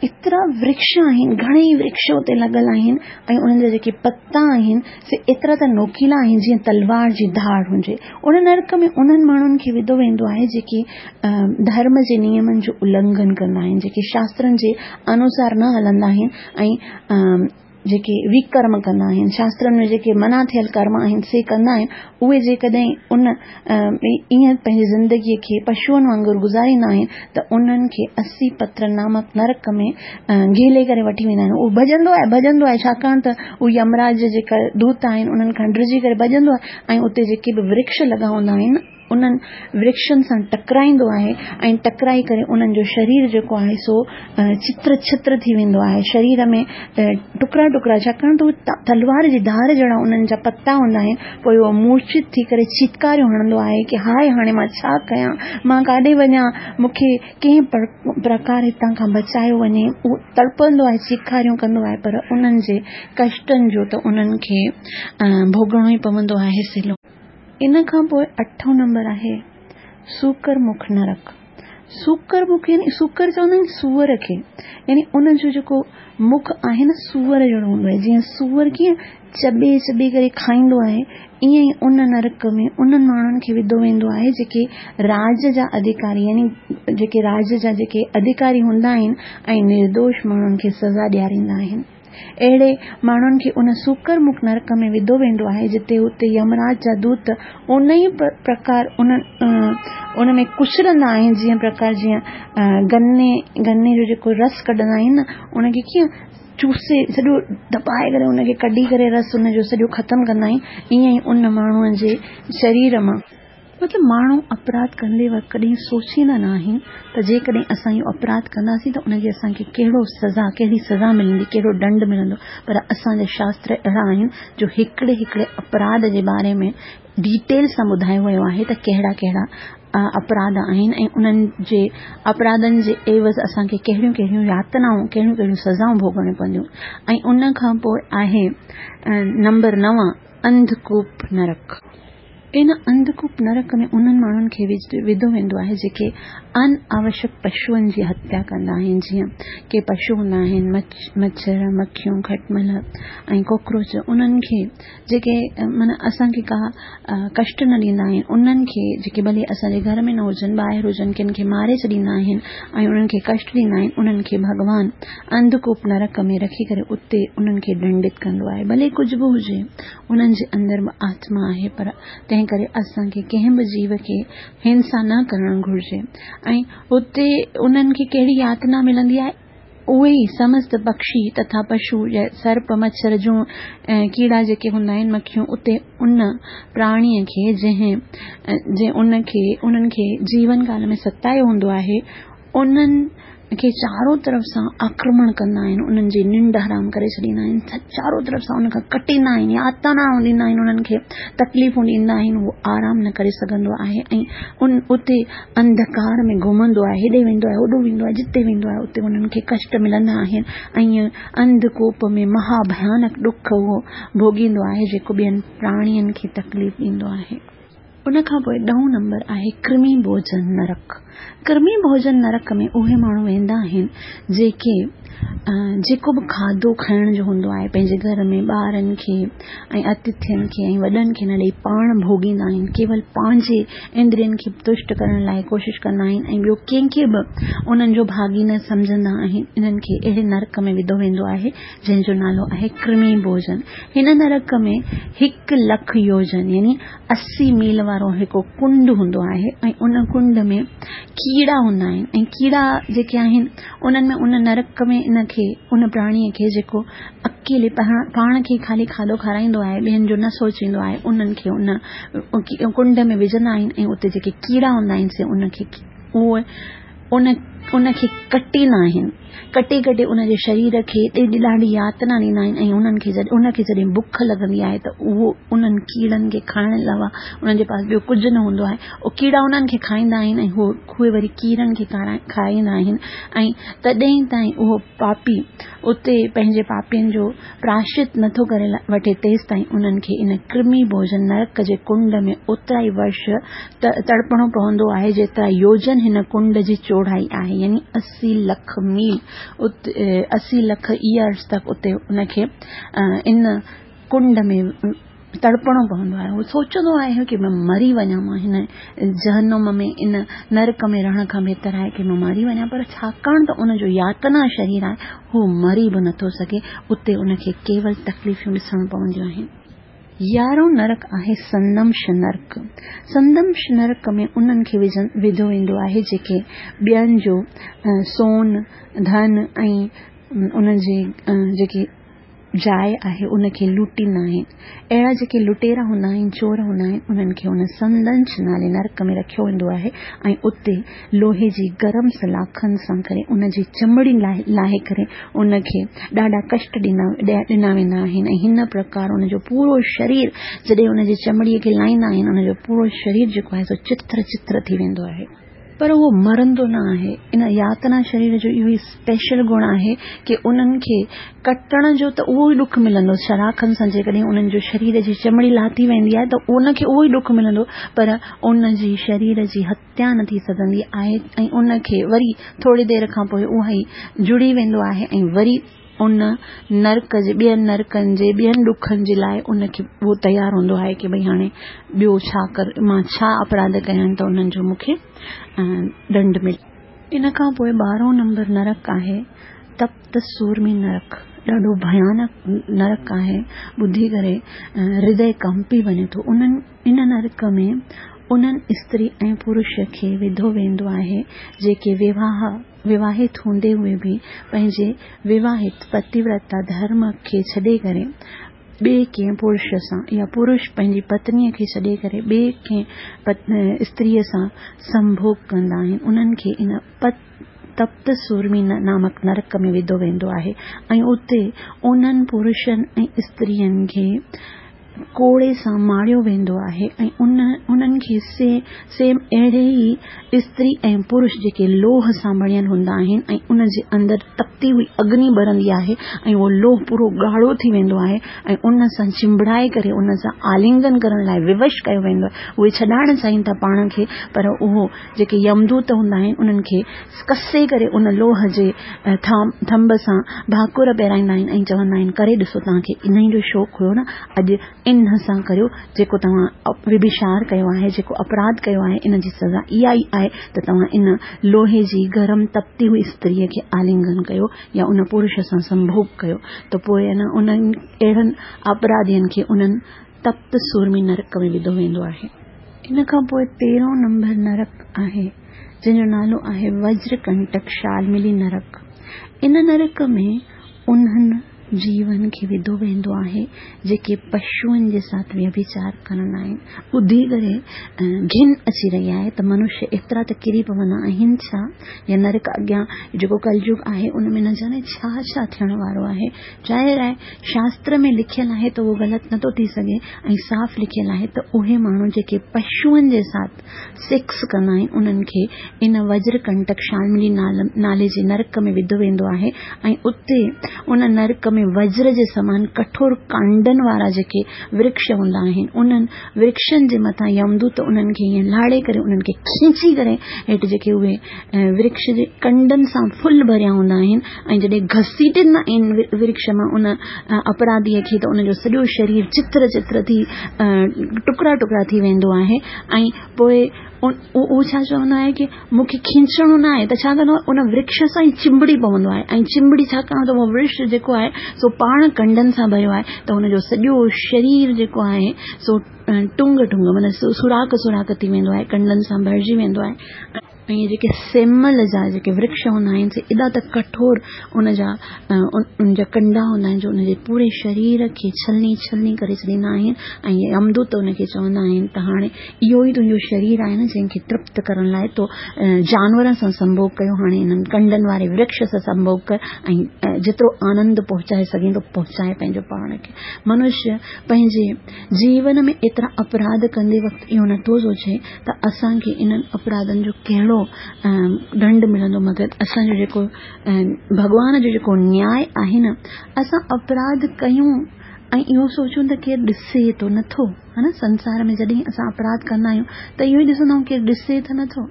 ايترا ورڪش آهن، گهڻيئي ورڪش اتي لڳل آهن ۽ انهن جا جيڪي پتا آهن سي ايترا ته نوڪيلا آهن جيئن تلوار جي ڌار هجي. ان نرڪ ۾ انهن ماڻهن کي وڌو ويندو آهي جيڪي ڌرم جي نيمن جو النگهن ڪندا آهن، جيڪي شاسترن جي انوسار نه هلندا آهن ۽ جيڪي وڪرم ڪندا آهن، شاسترن ۾ جيڪي منع ٿيل ڪرم آهن سي ڪندا آهن، اهي جيڪڏهن ان ائين پنهنجي زندگيء کي پشوئن وانگر گذاريندا آهن ته انهن کي 80 پتر نامڪ نرڪ ۾ گهيلي ڪري وٺي ويندا آهن. اهو ڀڄندو آهي، ڀڄندو آهي، ڇاڪاڻ ته هو يمراج جا جيڪا دوت آهن انهن کان ڊڄي ڪري ڀڄندو آهي ۽ اتي جيڪي به ورڪش لڳا هوندا آهن. انهن ورڪشن سان ٽڪرائيندو آهي ۽ ٽڪرائي ڪري انهن جو شرير جيڪو آهي سو ڇتر ڇتر ٿي ويندو آهي شرير ۾ ٽڪرا ٽڪرا ڇاڪاڻ ته اهي تلوار جي ڌار جهڙا انهن جا پتا هوندا آهن پوء اهو مورڇت ٿي ڪري چيتڪاريون هڻندو آهي ڪي هاء هاڻي مان ڇا ڪيان مان ڪاڏي وڃان مون کي ڪنهن پرڪار هتان کان بچايو وڃي اهو تڙپندو آهي چيخاريون ڪندو آهي پر انهن جي ڪشٽن جو ته انهن کي ڀوڳڻو ئي پوندو آهي سلو. ان کان پوء اٺون نمبر آهي سوڪر مک نرڪ. سوڪر مک يعني سوڪر چوندا آهن سوئر کي يعني ان جو جيڪو مک آهي نه سوئر جهڙو هوندو آهي جيئن سوئر ڪيئن چٻي چٻي ڪري کائيندو آهي ائين ئي ان نرڪ ۾ انهن ماڻهن کي وڌو ويندو آهي جيڪي راج جا اڌڪاري يعني جيڪي راج جا جيڪي اڌڪاري هوندا آهن ۽ نردوش ماڻهن کي سزا ڏياريندا آهن. اهڙي ماڻهن کي ان سوڪر مک نرڪ ۾ وڌو ويندو آهي، جتي اتي يمراج جا دوت ان ئي پرڪار ان ۾ ڪچلندا آهن، جيئن پرڪار جيئن گني گني جو جيڪو رس ڪڍندا آهن نه، ان کي ڪيئن چوسي سڄو دٻائي ڪري ان کي ڪڍي ڪري رس ان جو سڄو ختم ڪندا آهن، ائين ئي ان ماڻهوء جي شرير مان. مطلب ماڻهو اپراڌ ڪندي وقت ڪڏهن سوچيندا نه آهن ته جيڪڏهن اسان اهو اپراڌ ڪنداسين ته ان جي اسان کي ڪهڙو سزا ڪهڙي سزا ملندي ڪهڙو ڏنڊ ملندو پر اسان جا شاستر اهڙا آهن جو هڪڙي هڪڙي اپراڌ جي باري ۾ ڊيٽيل سان ٻڌايو ويو آهي ته ڪهڙا ڪهڙا اپراڌ آهن ۽ انهن جي اپراڌن جي عيوض اسان کي ڪهڙيون ڪهڙيون ياتنائون ڪهڙيون ڪهڙيون سزائون ڀوڳڻيون پونديون ۽ ان کان پوء آهي نمبر نو انڌڪوپ نرڪ. ان انڌڪوپ نرڪ ۾ انهن ماڻهن کي وڌو ويندو آهي جيڪي ان آوشڪ پشوئن جي هتيا ڪندا آهن جيئن ڪي پشو هوندا آهن مڇر، مکيون، کٽمل ۽ ڪاڪروچ انهن کي جيڪي معنيٰ اسان کي ڪا ڪشٽ نه ڏيندا آهن انهن کي جيڪي ڀلي اسان جي گهر ۾ نه هجن ٻاهر هجن ڪن کي ماري ڇڏيندا آهن ۽ انهن کي ڪشٽ ڏيندا آهن انهن کي ڀڳوان انڌڪوپ نرڪ ۾ رکي ڪري اتي انهن کي ڏنڊت ڪندو آهي ڀلي ڪجهه به هجي انهن جي اندر به آتما آهي پر تنهن ڪري اسان کي ڪنهن به جيو کي هنسا نه ڪرڻ گهرجي ۽ اتي انهن کي ڪهڙي ياتنا ملندي آهي اهي ئي سمست پکشي تٿا پشو يا سرپ مڇر جون ۽ ڪيڙا جيڪي هوندا آهن مکيون اتي ان پراڻيء کي جنهن جنهن ان کي انهن کي جيون ڪال ۾ ستايو هوندو آهي انهن کي چارو طرف سان آڪرمڻ ڪندا آهن، انهن جي ننڊ حرام ڪري ڇڏيندا آهن، چارو طرف سان انهن کان ڪٽيندا آهن، ياتنائون ڏيندا آهن، انهن کي تڪليفون ڏيندا آهن، هو آرام نه ڪري سگهندو آهي ۽ ان اتي انڌڪار ۾ گهمندو آهي، هيڏي ويندو آهي، هوڏو ويندو آهي، جتي ويندو آهي اتي انهن کي ڪشٽ ملندا آهن ۽ انڌڪوپ ۾ مها ڀيانڪ ڏک اهو ڀوڳيندو آهي جيڪو ٻين پراڻين کي تڪليف ڏيندو آهي. ان کان پوء ڏهون نمبر آهي ڪرمي ڀوڄن نرڪ. ڪرمي ڀوڄن نرڪ ۾ اهي ماڻهو ويندا آهن جيڪي جيڪو به کاڌو کائڻ جو هوندو آهي پنهنجي گهر ۾ ٻارن کي ۽ اتٿين کي ۽ وڏن کي نه ڏئي پاڻ ڀوڳيندا آهن ڪيول پنهنجي اندرين کي تشٽ ڪرڻ لاء ڪوشش ڪندا آهن ۽ ٻيو ڪنهن کي به انهن جو ڀاڳي نه سمجهندا آهن انهن کي اهڙي نرڪ ۾ وڌو ويندو آهي جنهن جو نالو آهي ڪرمي ڀوڄن هن نرڪ ۾ هڪ لک يوجن يعني 80 ميل وارو هڪ ڪنڊ هوندو آهي ۽ ان ڪنڊ ۾ ڪيڙا هوندا آهن ۽ ڪيڙا جيڪي آهن انهن ۾ ان نرڪ ۾ ان کي ان پراڻيء کي جيڪو اڪيلي پاڻ کي خالي کاڌو کارائيندو آهي ٻين جو نه سوچيندو آهي انهن کي ان ڪنڊ ۾ وجهندا آهن ۽ اتي جيڪي ڪيڙا هوندا آهن سي ان کي اهي ان ان کي ڪٽيندا آهن ڪٽي ڪٽي ان جي شرير کي ڏاڍي ڏاڍي ياتنا ڏيندا آهن ۽ انهن کي جڏهن ان کي جڏهن بک لڳندي آهي ته اهو انهن ڪيڙن کي کائڻ علاوه انهن جي پاس ٻيو ڪجهه نه هوندو آهي اهي ڪيڙا انهن کي کائيندا آهن ۽ هو اهي وري ڪيڙن کي کائيندا آهن ۽ تڏهن تائين اهو پاپي اتي پنهنجي پاپين جو پراشچت نٿو ڪري وٺي تيستائين انهن کي ان ڪرمي ڀوڄن نرڪ جي ڪنڊ ۾ اوترا ئي ورش تڙپڻو پوندو آهي جيترا يوجن هن ڪنڊ جي چوڙائي آهي يعني 80 لک ميل 80 لک ايئرس تڪ اتي ان کي ان ڪنڊ ۾ تڙپڻو پوندو آهي. هو سوچندو آهي ڪي مان مري وڃان مان هن جهنم ۾ ان نرڪ ۾ رهڻ کان بهتر آهي ڪي مان مري وڃان پر ڇاڪاڻ ته ان جو ياتنا شرير آهي هو مري به نٿو سگهي اتي ان کي ڪيول تڪليفون ڏسڻ پونديون آهن. يارهون نرڪ آهي سندمش نرڪ. سندمش نرڪ ۾ انهن کي وڌو ويندو آهي جيڪي ٻين جو سون، ڌن ۽ انهن جي جيڪي جاء آهي ان کي لٽيندا آهن. اهڙا جيڪي لٽيرا هوندا آهن، چور هوندا آهن، انهن کي ان سندنچ نالي نرڪ ۾ رکيو ويندو آهي ۽ اتي لوهي جي گرم سلاخن سان ڪري ان جي چمڙي لاهي ڪري ان کي ڏاڍا ڪشٽ ڏنا ويندا آهن ۽ هن پرڪار ان جو پورو شرير جڏهن ان جي چمڙي کي لاهيندا آهن ان جو پورو شرير جيڪو آهي سو چٿر چٿر ٿي ويندو آهي. پر اهو مرندو نه آهي. ان ياتنا شرير جو اهو ئي اسپيشل گڻ آهي ڪي انهن کي ڪٽڻ جو ته اهو ئي ڏک ملندو، سلاخن سان جيڪڏهن انهن جو شرير جي چمڙي لاٿي ويندي آهي ته ان کي اهو ئي ڏک ملندو پر ان جي شرير جي هتيا نه ٿي سگهندي آهي ۽ ان کي وري ٿوري دير کان پوء اها ئي جڙي ويندو آهي ۽ وري ان نرڪ جي ٻين نرڪن جي ٻين ڏکن جي لاء ان کي اهو تيار هوندو آهي ڪي ڀئي هاڻي ٻيو ڇا ڪر مان ڇا اپراڌ ڪيا آهن ته انهن جو مون کي ڏنڊ ملي. ان کان پوء ٻارهون نمبر نرڪ آهي تپت سورمي نرڪ ڏاڍو ڀيانڪ نرڪ آهي ٻڌي ڪري هردي ڪمپي وڃي ٿو انهن ان نرڪ ۾ انهن استري ۽ پرش کي وڌو ويندو آهي جيڪي وواهه وواهت هوندي هوئي به پنهنجي وواهت پتيورتا ڌرم کي ڇڏي ڪري ٻئي ڪنهن پرش سان يا پرش پنهنجي پتنيء کي ڇڏي ڪري ٻئي ڪنهن استريء سان سنڀوڳ ڪندا آهن انهن کي ان تپت سورمي نامڪ نرڪ ۾ وڌو ويندو آهي ۽ اتي انهن پرشن ۽ استرين کي ڪوڙي سان ماريو ويندو آهي ۽ انهن کي سيم اهڙي ئي استري ۽ پرش جيڪي لوهه سان بڻيل هوندا آهن ۽ ان جي اندر تپتي هئي اگني ٻرندي آهي ۽ اهو لوهه پورو ڳاڙهو ٿي ويندو آهي ۽ ان سان چنبڙائي ڪري ان سان آلنگن ڪرڻ لاء ووش ڪيو ويندو آهي اهي ڇڏائڻ چاهين ٿا پاڻ کي پر اهو جيڪي يمدوت هوندا آهن انهن کي ڪسي ڪري ان لوهه جي ٿنڀ سان ڀاڪر پهرائيندا آهن ۽ چوندا آهن ڪري ڏسو توهان کي انهي جو شوق هيو نه اڄ ان سان ڪريو جيڪو توهان ويڀچار ڪيو آهي جيڪو اپراڌ ڪيو آهي ان جي سزا اها ئي آهي ته توهان ان لوهي جي گرم تپتي هئي استريء کي آلنگن ڪيو يا ان پرش سان سنڀوڳ ڪيو ته پوء انهن اهڙن اپراڌين کي انهن تپت سورمي نرڪ ۾ وڌو ويندو آهي. ان کان پوء تيرهون نمبر نرڪ آهي، جنهن جو نالو آهي وجر ڪنٽڪ شالملي نرڪ. ان نرڪ ۾ انهن جيون کي وڌو ويندو آهي، جيڪي پشوئن جي ساٿ ويڀچار ڪندا آهن. ٻڌي ڪري گهن اچي رهي آهي ته منشيه ايترا ته ڪري پوندا آهن ڇا؟ يا نرڪ اڳيان جيڪو ڪلجگ آهي، ان ۾ نه ڄاڻي ڇا ڇا ٿيڻ وارو آهي. ظاهر آهي شاستر ۾ لکيل آهي ته اهو غلط نٿو ٿي سگهي ۽ صاف لکيل آهي ته اهي ماڻهو جيڪي پشوئن جي ساٿ سيڪس ڪندا آهن انهن کي ان وجر ڪنٽڪ شالملي نالي جي نرڪ ۾ وڌو ويندو آهي ۽ اتي ان نرڪ ۾ وجر جي سمان ڪٺور ڪانڊن وارا جيڪي ورڪش هوندا آهن انهن ورڪشن جي مٿان يمدوت انهن کي ائين لاڙي ڪري انهن کي کينچي ڪري هيٺ جيڪي اهي ورڪش جي ڪنڊن سان ڦل ڀريا هوندا آهن ۽ جڏهن گهسيٽيندا آهن ورڪش مان ان اپراڌيء کي ته ان جو سڄو شرير چتر چتر ٿي ٽڪرا ٽڪرا ٿي ويندو آهي ۽ پوء اهو ڇا چوندو آهي ڪي مون کي کينچڻو نه آهي ته ڇا ڪندو آهي ان ورڪش سان ئي چنبڙي پوندو آهي ۽ چنبڙي ڇاڪاڻ ته اهو ورڪش جيڪو آهي سو پاڻ ڪنڊن سان ڀريو آهي ته ان جو سڄو شرير جيڪو آهي سو ٽنگ ٽنگ معنيٰ سوراخ سوراخ ٿي ويندو آهي ڪنڊن سان ڀرجي ويندو آهي ۽ جيڪي سيمل جا جيڪي ورڪش هوندا آهن سي ايڏا ته ڪٺور ان جا ان جا ڪنڊا هوندا آهن جو ان جي پوري شرير کي ڇلني ڇلني ڪري ڇڏيندا آهن ۽ يمدوت ان کي چوندا آهن ته هاڻي اهو ئي تنهنجو شرير آهي نه جنهن کي ترپت ڪرڻ لاء تو جانورن سان سنڀوڳ ڪيو هاڻي انهن ڪنڊن واري ورڪش سان سنڀوڳ ڪر ۽ جيترو آنند پهچائي سگهين ٿو پهچائي پنهنجو پاڻ کي منشيه پنهنجي جيون ۾ ايترا اپراڌ ڪندي وقت اهو نٿو سوچي ته اسان کي انهن اپراڌن جو ڪهڙو ڏنڊ ملندو مگر اسان جو جيڪو ڀڳوان جو جيڪو نياء آهي نه اسان اپراڌ ڪيون ۽ اهو سوچون ته ڪير ڏسي ٿو نٿو ها نه سنسار ۾ جڏهن اسان اپراڌ ڪندا آهيون ته اهو ئي ڏسندا آهيون ڪير ڏسي ته نٿو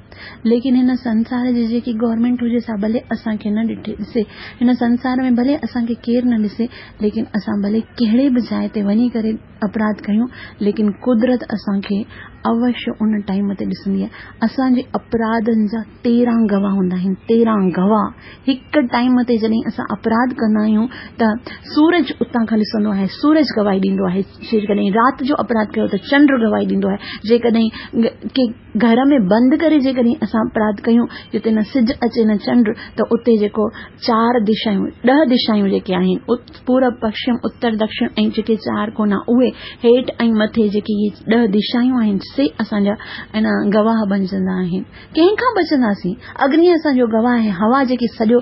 ليڪن هن سنسار جي جيڪي گورنمينٽ هجي سا ڀلي اسان کي نه ڏٺي ڏسي هن سنسار ۾ ڀلي اسان کي ڪير نه ڏسي ليڪن اسان ڀلي ڪهڙي به جاء تي وڃي ڪري اپراڌ ڪيون ليڪن قدرت اسان کي اوشيه ان ٽائيم تي ڏسندي آهي. اسان جي اپراڌن جا 13 گواهه هوندا آهن، 13 گواهه هڪ ٽائيم تي جڏهن اسان اپراڌ ڪندا آهيون ته سورج اتان کان ڏسندو آهي، سورج گواهي ڏيندو آهي. جيڪڏهن رات جو اپراڌ ڪيو ته چنڊ گواهي ڏيندو آهي. جيڪڏهن ڪي گهر ۾ بند ڪري جيڪڏهن اسان اپراڌ ڪيون جتي نه سج اچي نه چنڊ ته اتي جيڪو چار دشائون ڏهه دشائون جيڪي آهن پورب پشچم اتر دڪشڻ ۽ جيڪي چار ڪونا اهي هيٺ ۽ مٿي جيڪي اهي ڏهه دشائون آهن سي اسان جا ان گواهه بنجندا آهن. ڪنهن کان بچنداسين؟ اگني اسان جو گواهه آهي، هوا جيڪي سڄو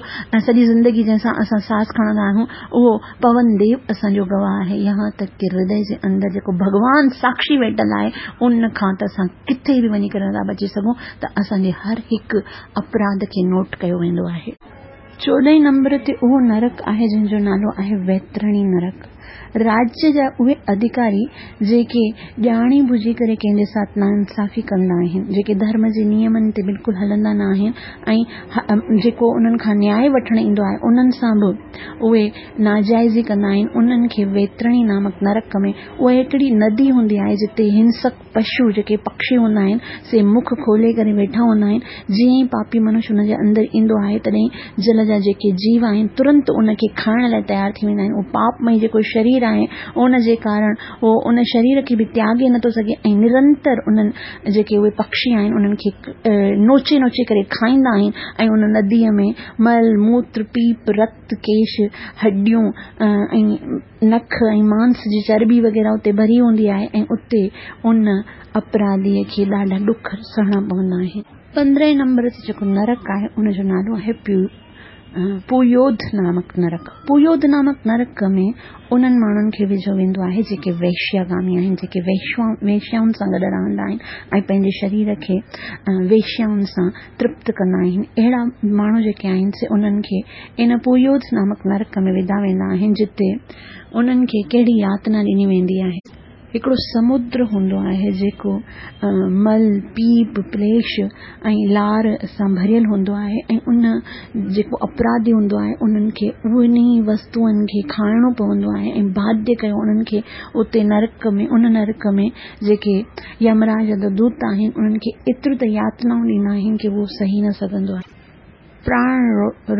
سڄي زندگي جنهن سان اسان ساس کڻندا آهيون اهو پون ديو اسان جو گواهه آهي، يهان تڪ ڪي هردي جي اندر جيڪو ڀڳوان ساکشي ويٺل آهي ان کان ته اسان ڪٿي به وڃي ڪري نٿا بچي سگهون ته اسان جي هر هڪ اپراڌ کي نوٽ ڪيو ويندو آهي. چوڏهين نمبر تي اهو نرڪ آهي جنهن جو نالو آهي ويترڻي نرڪ. راجيه جا اهي اڌڪاري جيڪي ڄاڻي ٻجهي ڪري ڪنهن جي ساٿ ناانصافي ڪندا آهن، جيڪي ڌرم جي نيمن تي بلڪل هلندا نه آهن ۽ جيڪو انهن کان نياء وٺڻ ايندو آهي انهن سان به اهي ناجائزي ڪندا آهن، انهن کي ويترڻي نامڪ نرڪ ۾ اها هڪڙي ندي هوندي آهي جتي هنسڪ پشو جيڪي پکشي هوندا آهن سي مک کولي ڪري ويٺا هوندا آهن، جيئن ئي پاپي منش ان جي اندر ايندو آهي تڏهن جل جا جيڪي جيو آهن ترنت ان کي کائڻ لاء تيار ٿي ويندا آهن، اهو پاپمئي جيڪو شرير آهي ان جي ڪارڻ اهو ان شرير کي به تياڳي نٿو سگهي ۽ نرنتر انهن جيڪي اهي پکشي آهن انهن کي نوچي نوچي ڪري کائيندا آهن ۽ ان نديء ۾ مل، موتر، پيپ، رت، ڪيش، هڏيون ۽ نک ۽ مانس جي چرٻي وغيره اتي ڀري هوندي آهي ۽ اتي ان اپراڌيء کي ڏاڍا ڏک سهڻا پوندا آهن. پندرهين نمبر تي جيڪو نرڪ آهي ان جو نالو آهي پويوڌ نامڪ نرڪ. پويوڌ نامڪ نرڪ ۾ انهن ماڻهن کي وجهيو ويندو آهي جيڪي ويشياگامي آهن، جيڪي ويشيائن سان گڏ رهندا آهن ۽ پنهنجي شرير کي ويشيائن سان ترپت ڪندا آهن. اهڙا ماڻهو جيڪي آهن سي انهن کي ان پويوڌ نامڪ نرڪ ۾ وڌا ويندا آهن جتي انهن کي ڪهڙي ياتنا ڏني ويندي آهي. هڪڙو سمندر هوندو آهي جيڪو مل، پيپ، پليش ۽ لار سان ڀريل هوندو آهي ۽ ان جيڪو اپراڌي هوندو آهي انهن کي انهي وستوئن کي کائڻو پوندو آهي ۽ باڌيه ڪيو انهن کي اتي نرڪ ۾ ان نرڪ ۾ جيڪي يمراج جا دوت آهن انهن کي ايتريون ته ياتنائون ڏيندا آهن ڪي اهو سهي نه سگهندو آهي. پراڻ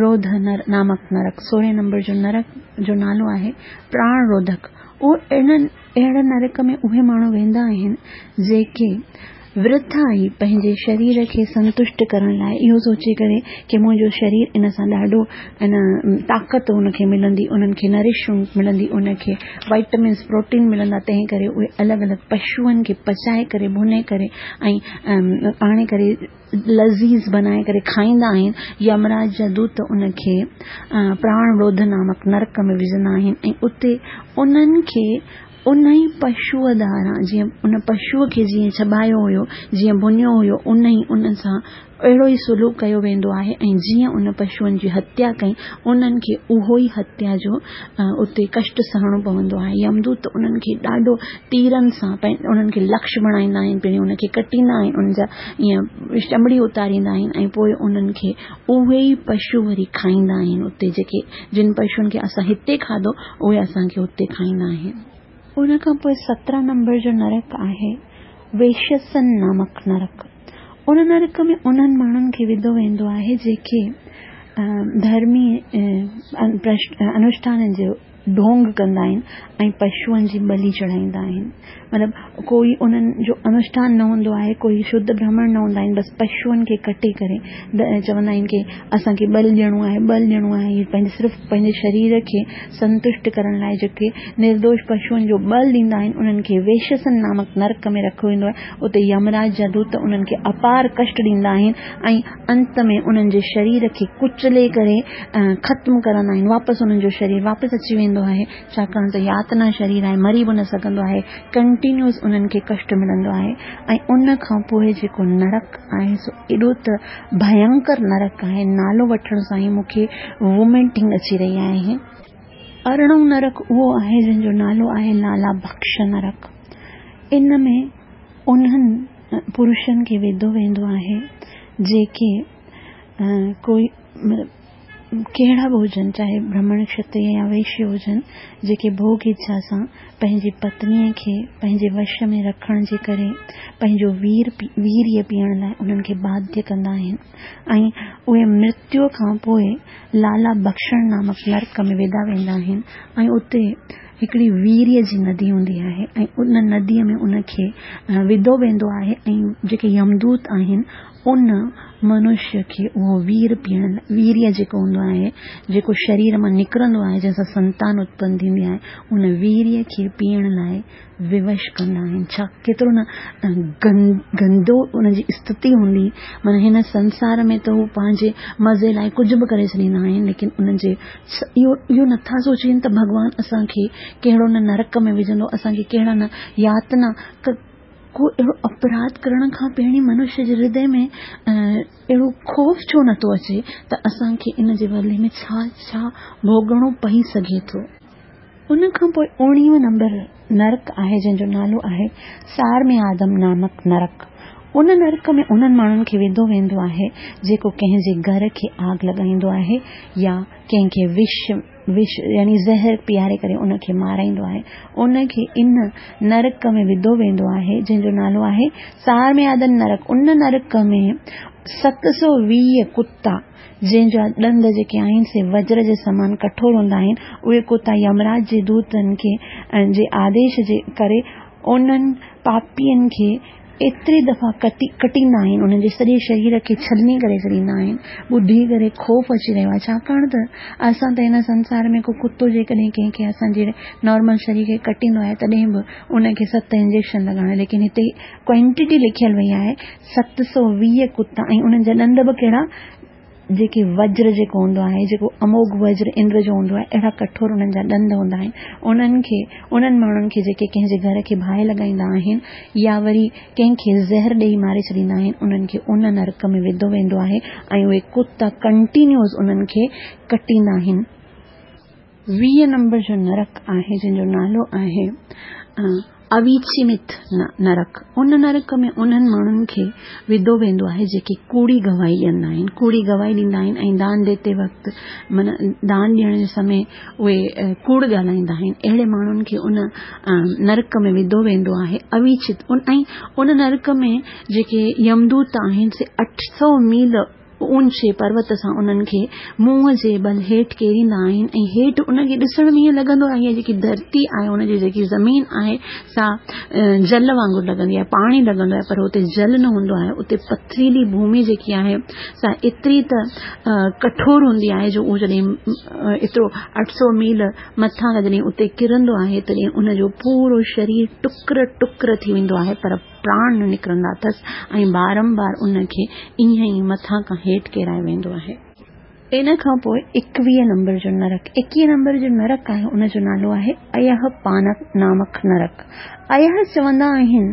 روڌ نامڪ نرڪ، سورهين نمبر جو نرڪ جو نالو آهي پراڻ روڌڪ. اهو اهڙي نرڪ ۾ اهي ماڻهو ويندا آهن جيڪي ورٿا ئي پنهنجي شرير کي سنتشٽ ڪرڻ لاء اهو سوچي ڪري ڪي منهنجو شرير ان سان ڏاڍو ان طاقت ان کي ملندي انهن کي نرشمينٽ ملندي ان کي وائٽمنس پروٽين ملندا تنهن ڪري اهي الڳ الڳ پشوئن کي پچائي ڪري ڀني ڪري ۽ آڻي ڪري لذيذ بنائي ڪري کائيندا آهن. يمراج جا دوت ان کي پراڻ روڌ نامڪ نرڪ ۾ وجهندا آهن ۽ اتي انهن کي انهي پشوء ڌاران جيئن ان پشوء کي جيئن چٻايو هيو، جيئن ڀڃيو هيو، انهي ان سان اهڙو ئي سلوڪ ڪيو ويندو آهي ۽ جيئن ان پشوئن جي هتيا ڪئي، انهن کي اهو ئي هتيا جو اتي ڪشٽ سهڻو پوندو آهي. يمدوت انهن کي ڏاڍو تيرن سان انهن کي لڪش بڻائيندا آهن، پهرين انهن کي ڪٽيندا آهن، انهن جا ائين چمڙي اتاريندا آهن ۽ پوء انهن کي اهي ئي پشو وري کائيندا آهن اتي جيڪي جن پشوئن کي اسان هتي کاڌو اهي اسان کي اتي کائيندا آهن. ان کان پوء 17 نمبر جو نرڪ آهي ويشسن نامڪ نرڪ. ان نرڪ ۾ انهن ماڻهن کي وڌو ويندو آهي جيڪي ڌرمي انوشٺانن جو ڍونگ ڪندا آهن ۽ پشوئن جي ٻلي چڙهائيندا آهن. مطلب ڪوئي انهن جو انوشٺان نه هوندو آهي، ڪوئي شڌ برهمڻ نه هوندا آهن، بس پشوئن کي ڪٽي ڪري چوندا آهن ڪي اسان کي ٻل ڏيڻو آهي، ٻل ڏيڻو آهي. هي پنهنجي صرف پنهنجي شرير کي سنتشٽ ڪرڻ لاء جيڪي نردوش پشوئن جو ٻل ڏيندا آهن، انهن کي ويشسن نامڪ نرڪ ۾ رکيو ويندو آهي. اتي يمراج جا دوت انهن کي اپار ڪشٽ ڏيندا آهن ۽ انت ۾ انهن جي شرير کي ڪچلي ڪري ختم ڪرندا آهن. واپس انهن جو شرير واپس اچي ويندو آهي، ڇاڪاڻ ته ياتنا شرير آهي، مري به نه سگهندو آهي. ڪنٽينيوس انهن کي ڪشٽ ملندو آهي ۽ ان کان پوء جيڪو نرڪ آهي سو ايڏو ته ڀينڪر نرڪ آهي، نالو وٺڻ سان ئي مون کي ووميٽنگ اچي رهي آهي. ارڙهون نرڪ اهو آهي جنهن جو نالو آهي لالا بخش نرڪ. ان ۾ انهن پرشن کي وڌو ويندو آهي جيڪي ڪوئي ڪهڙا به هجن چاهي برهمڻ کشتري يا ويشيه هجن جيڪي ڀوڳ اڇا سان پنهنجي پتنيء کي پنهنجي وش ۾ رکڻ جي ڪري پنهنجو وير ويريه پيئڻ لاء انهن کي باڌيه ڪندا آهن ۽ اهي مرتيو کان پوء لالا بخشڻ نامڪ نرڪ ۾ وڌا ويندا آهن ۽ اتي هڪڙي ويريه جي ندي هوندي آهي ۽ ان نديء ۾ ان کي وڌو ويندو آهي ۽ جيڪي يمدوت آهن ان منشيه کي اهو وير پيئڻ ويريه جيڪو هوندو آهي جيڪو شرير مان نڪرندو آهي جنهن سان سنتان اتپن ٿيندي آهي ان ويريه کي پيئڻ لاء ووش ڪندا آهن. ڇا ڪيترو نه گندو ان جي استٿي هوندي. معنيٰ هن سنسار ۾ ته هو پنهنجي مزي لاء ڪجهه به ڪري ڇڏيندا آهن ليڪن انهن جي اهو اهو نٿا سوچين ته ڀڳوان اسان کي ڪهڙو نه نرڪ ۾ وجهندو اسان کي ڪهڙا نه ياتنا ڪو اهڙو اپراڌ ڪرڻ کان پهرين منشيه جي هردي ۾ اهڙو خوف ڇو نٿو اچي ته اسان کي ان جي بدلي ۾ ڇا ڇا ڀوڳڻو پئي سگهي ٿو. ان کان پوء اوڻيهون نمبر نرڪ آهي جنهن جو نالو آهي سارميادم نامڪ نرڪ. ان نرڪ ۾ انهن ماڻهن کي وڌو ويندو آهي جيڪو ڪنهن جي گهر کي آگ لڳائيندو آهي يا ڪنهن کي وش وش يعني زهر پياري ڪري ان کي مارائيندو آهي. ان کي ان نرڪ ۾ وڌو ويندو آهي جنهن جو نالو آهي سارميادن نرڪ. ان نرڪ ۾ 720 ڪتا جنهن جا ڏند جيڪي آهن سي وجر جي سمان ڪٺور هوندا آهن، اهي ڪتا يمراج جي دوتن کي جي آديش جي ڪري انهن پاپين کي ايتري دفعا ڪٽي ڪٽيندا آهن، انهن جي سڄي شرير کي ڇلني ڪري ڇڏيندا آهن. ٻڌي ڪري خوف اچي رهيو آهي، ڇاڪاڻ ته اسان ته هن سنسار ۾ ڪو ڪتو جيڪڏهن ڪنهن کي اسان جي نارمل شرير کي ڪٽيندو آهي تڏهن به ان کي ست انجيڪشن لڳائڻا ليڪن هتي ڪوانٽيٽي لکيل وئي آهي 720 ڪتا ۽ انهن جا ڏند به ڪهڙا جيڪي وجر جيڪو هوندو آهي جيڪو اموگه وجر اندر جو هوندو آهي اهڙا ڪٺور انهن جا ڏند هوندا آهن انهن کي انهن ماڻهن کي جيڪي ڪنهن جي گهر کي باهه لڳائيندا آهن يا وري ڪنهن کي زهر ڏيئي ماري ڇڏيندا آهن انهن کي ان نرڪ ۾ وڌو ويندو آهي ۽ اهي ڪتا ڪنٽينيوز انهن کي ڪٽيندا آهن. 20 نمبر جو نرڪ آهي جنهن جو نالو آهي اويچيمت نرڪ، ان نرڪ ۾ انهن ماڻهن کي وڌو ويندو آهي جيڪي ڪوڙي گواهي ڏيندا آهن، ڪوڙي گواهي ڏيندا آهن ۽ دان ڏيتي وقت معنيٰ دان ڏيڻ جي سمي اهي ڪوڙ ڳالهائيندا آهن، اهڙي ماڻهن کي ان نرڪ ۾ وڌو ويندو آهي اويچت ۽ ان نرڪ ۾ جيڪي يمدوت آهن سي 800 ميل اونچي پروت سان انهن کي منهن جي بل هيٺ ڪيريندا آهن ۽ هيٺ ان کي ڏسڻ ۾ ائين لڳندو آهي جيڪي ڌرتي آهي ان جي جيڪي زمين آهي سا جل وانگر لڳندي آهي پاڻي لڳندو آهي پر اتي جل نه هوندو آهي اتي پٿريلي ڀومي جيڪي آهي سا ايتري ته ڪٺور هوندي آهي جو اهو جڏهن ايترو 800 ميل مٿان کان جڏهن اتي ڪرندو آهي تڏهن ان جو پورو شرير ٽڪر ٽڪر ٿي ويندو آهي پر پراڻ نه نڪرندا اٿس ۽ بارنبار ان کي ائين ئي مٿان کان هيٺ ڪيرايو ويندو آهي. ان کان پوء ايڪويهه نمبر جو نرڪ، ايڪيهه نمبر جو نرڪ آهي ان جو نالو آهي ايهه پانڪ نامڪ نرڪ. ايهه چوندا آهن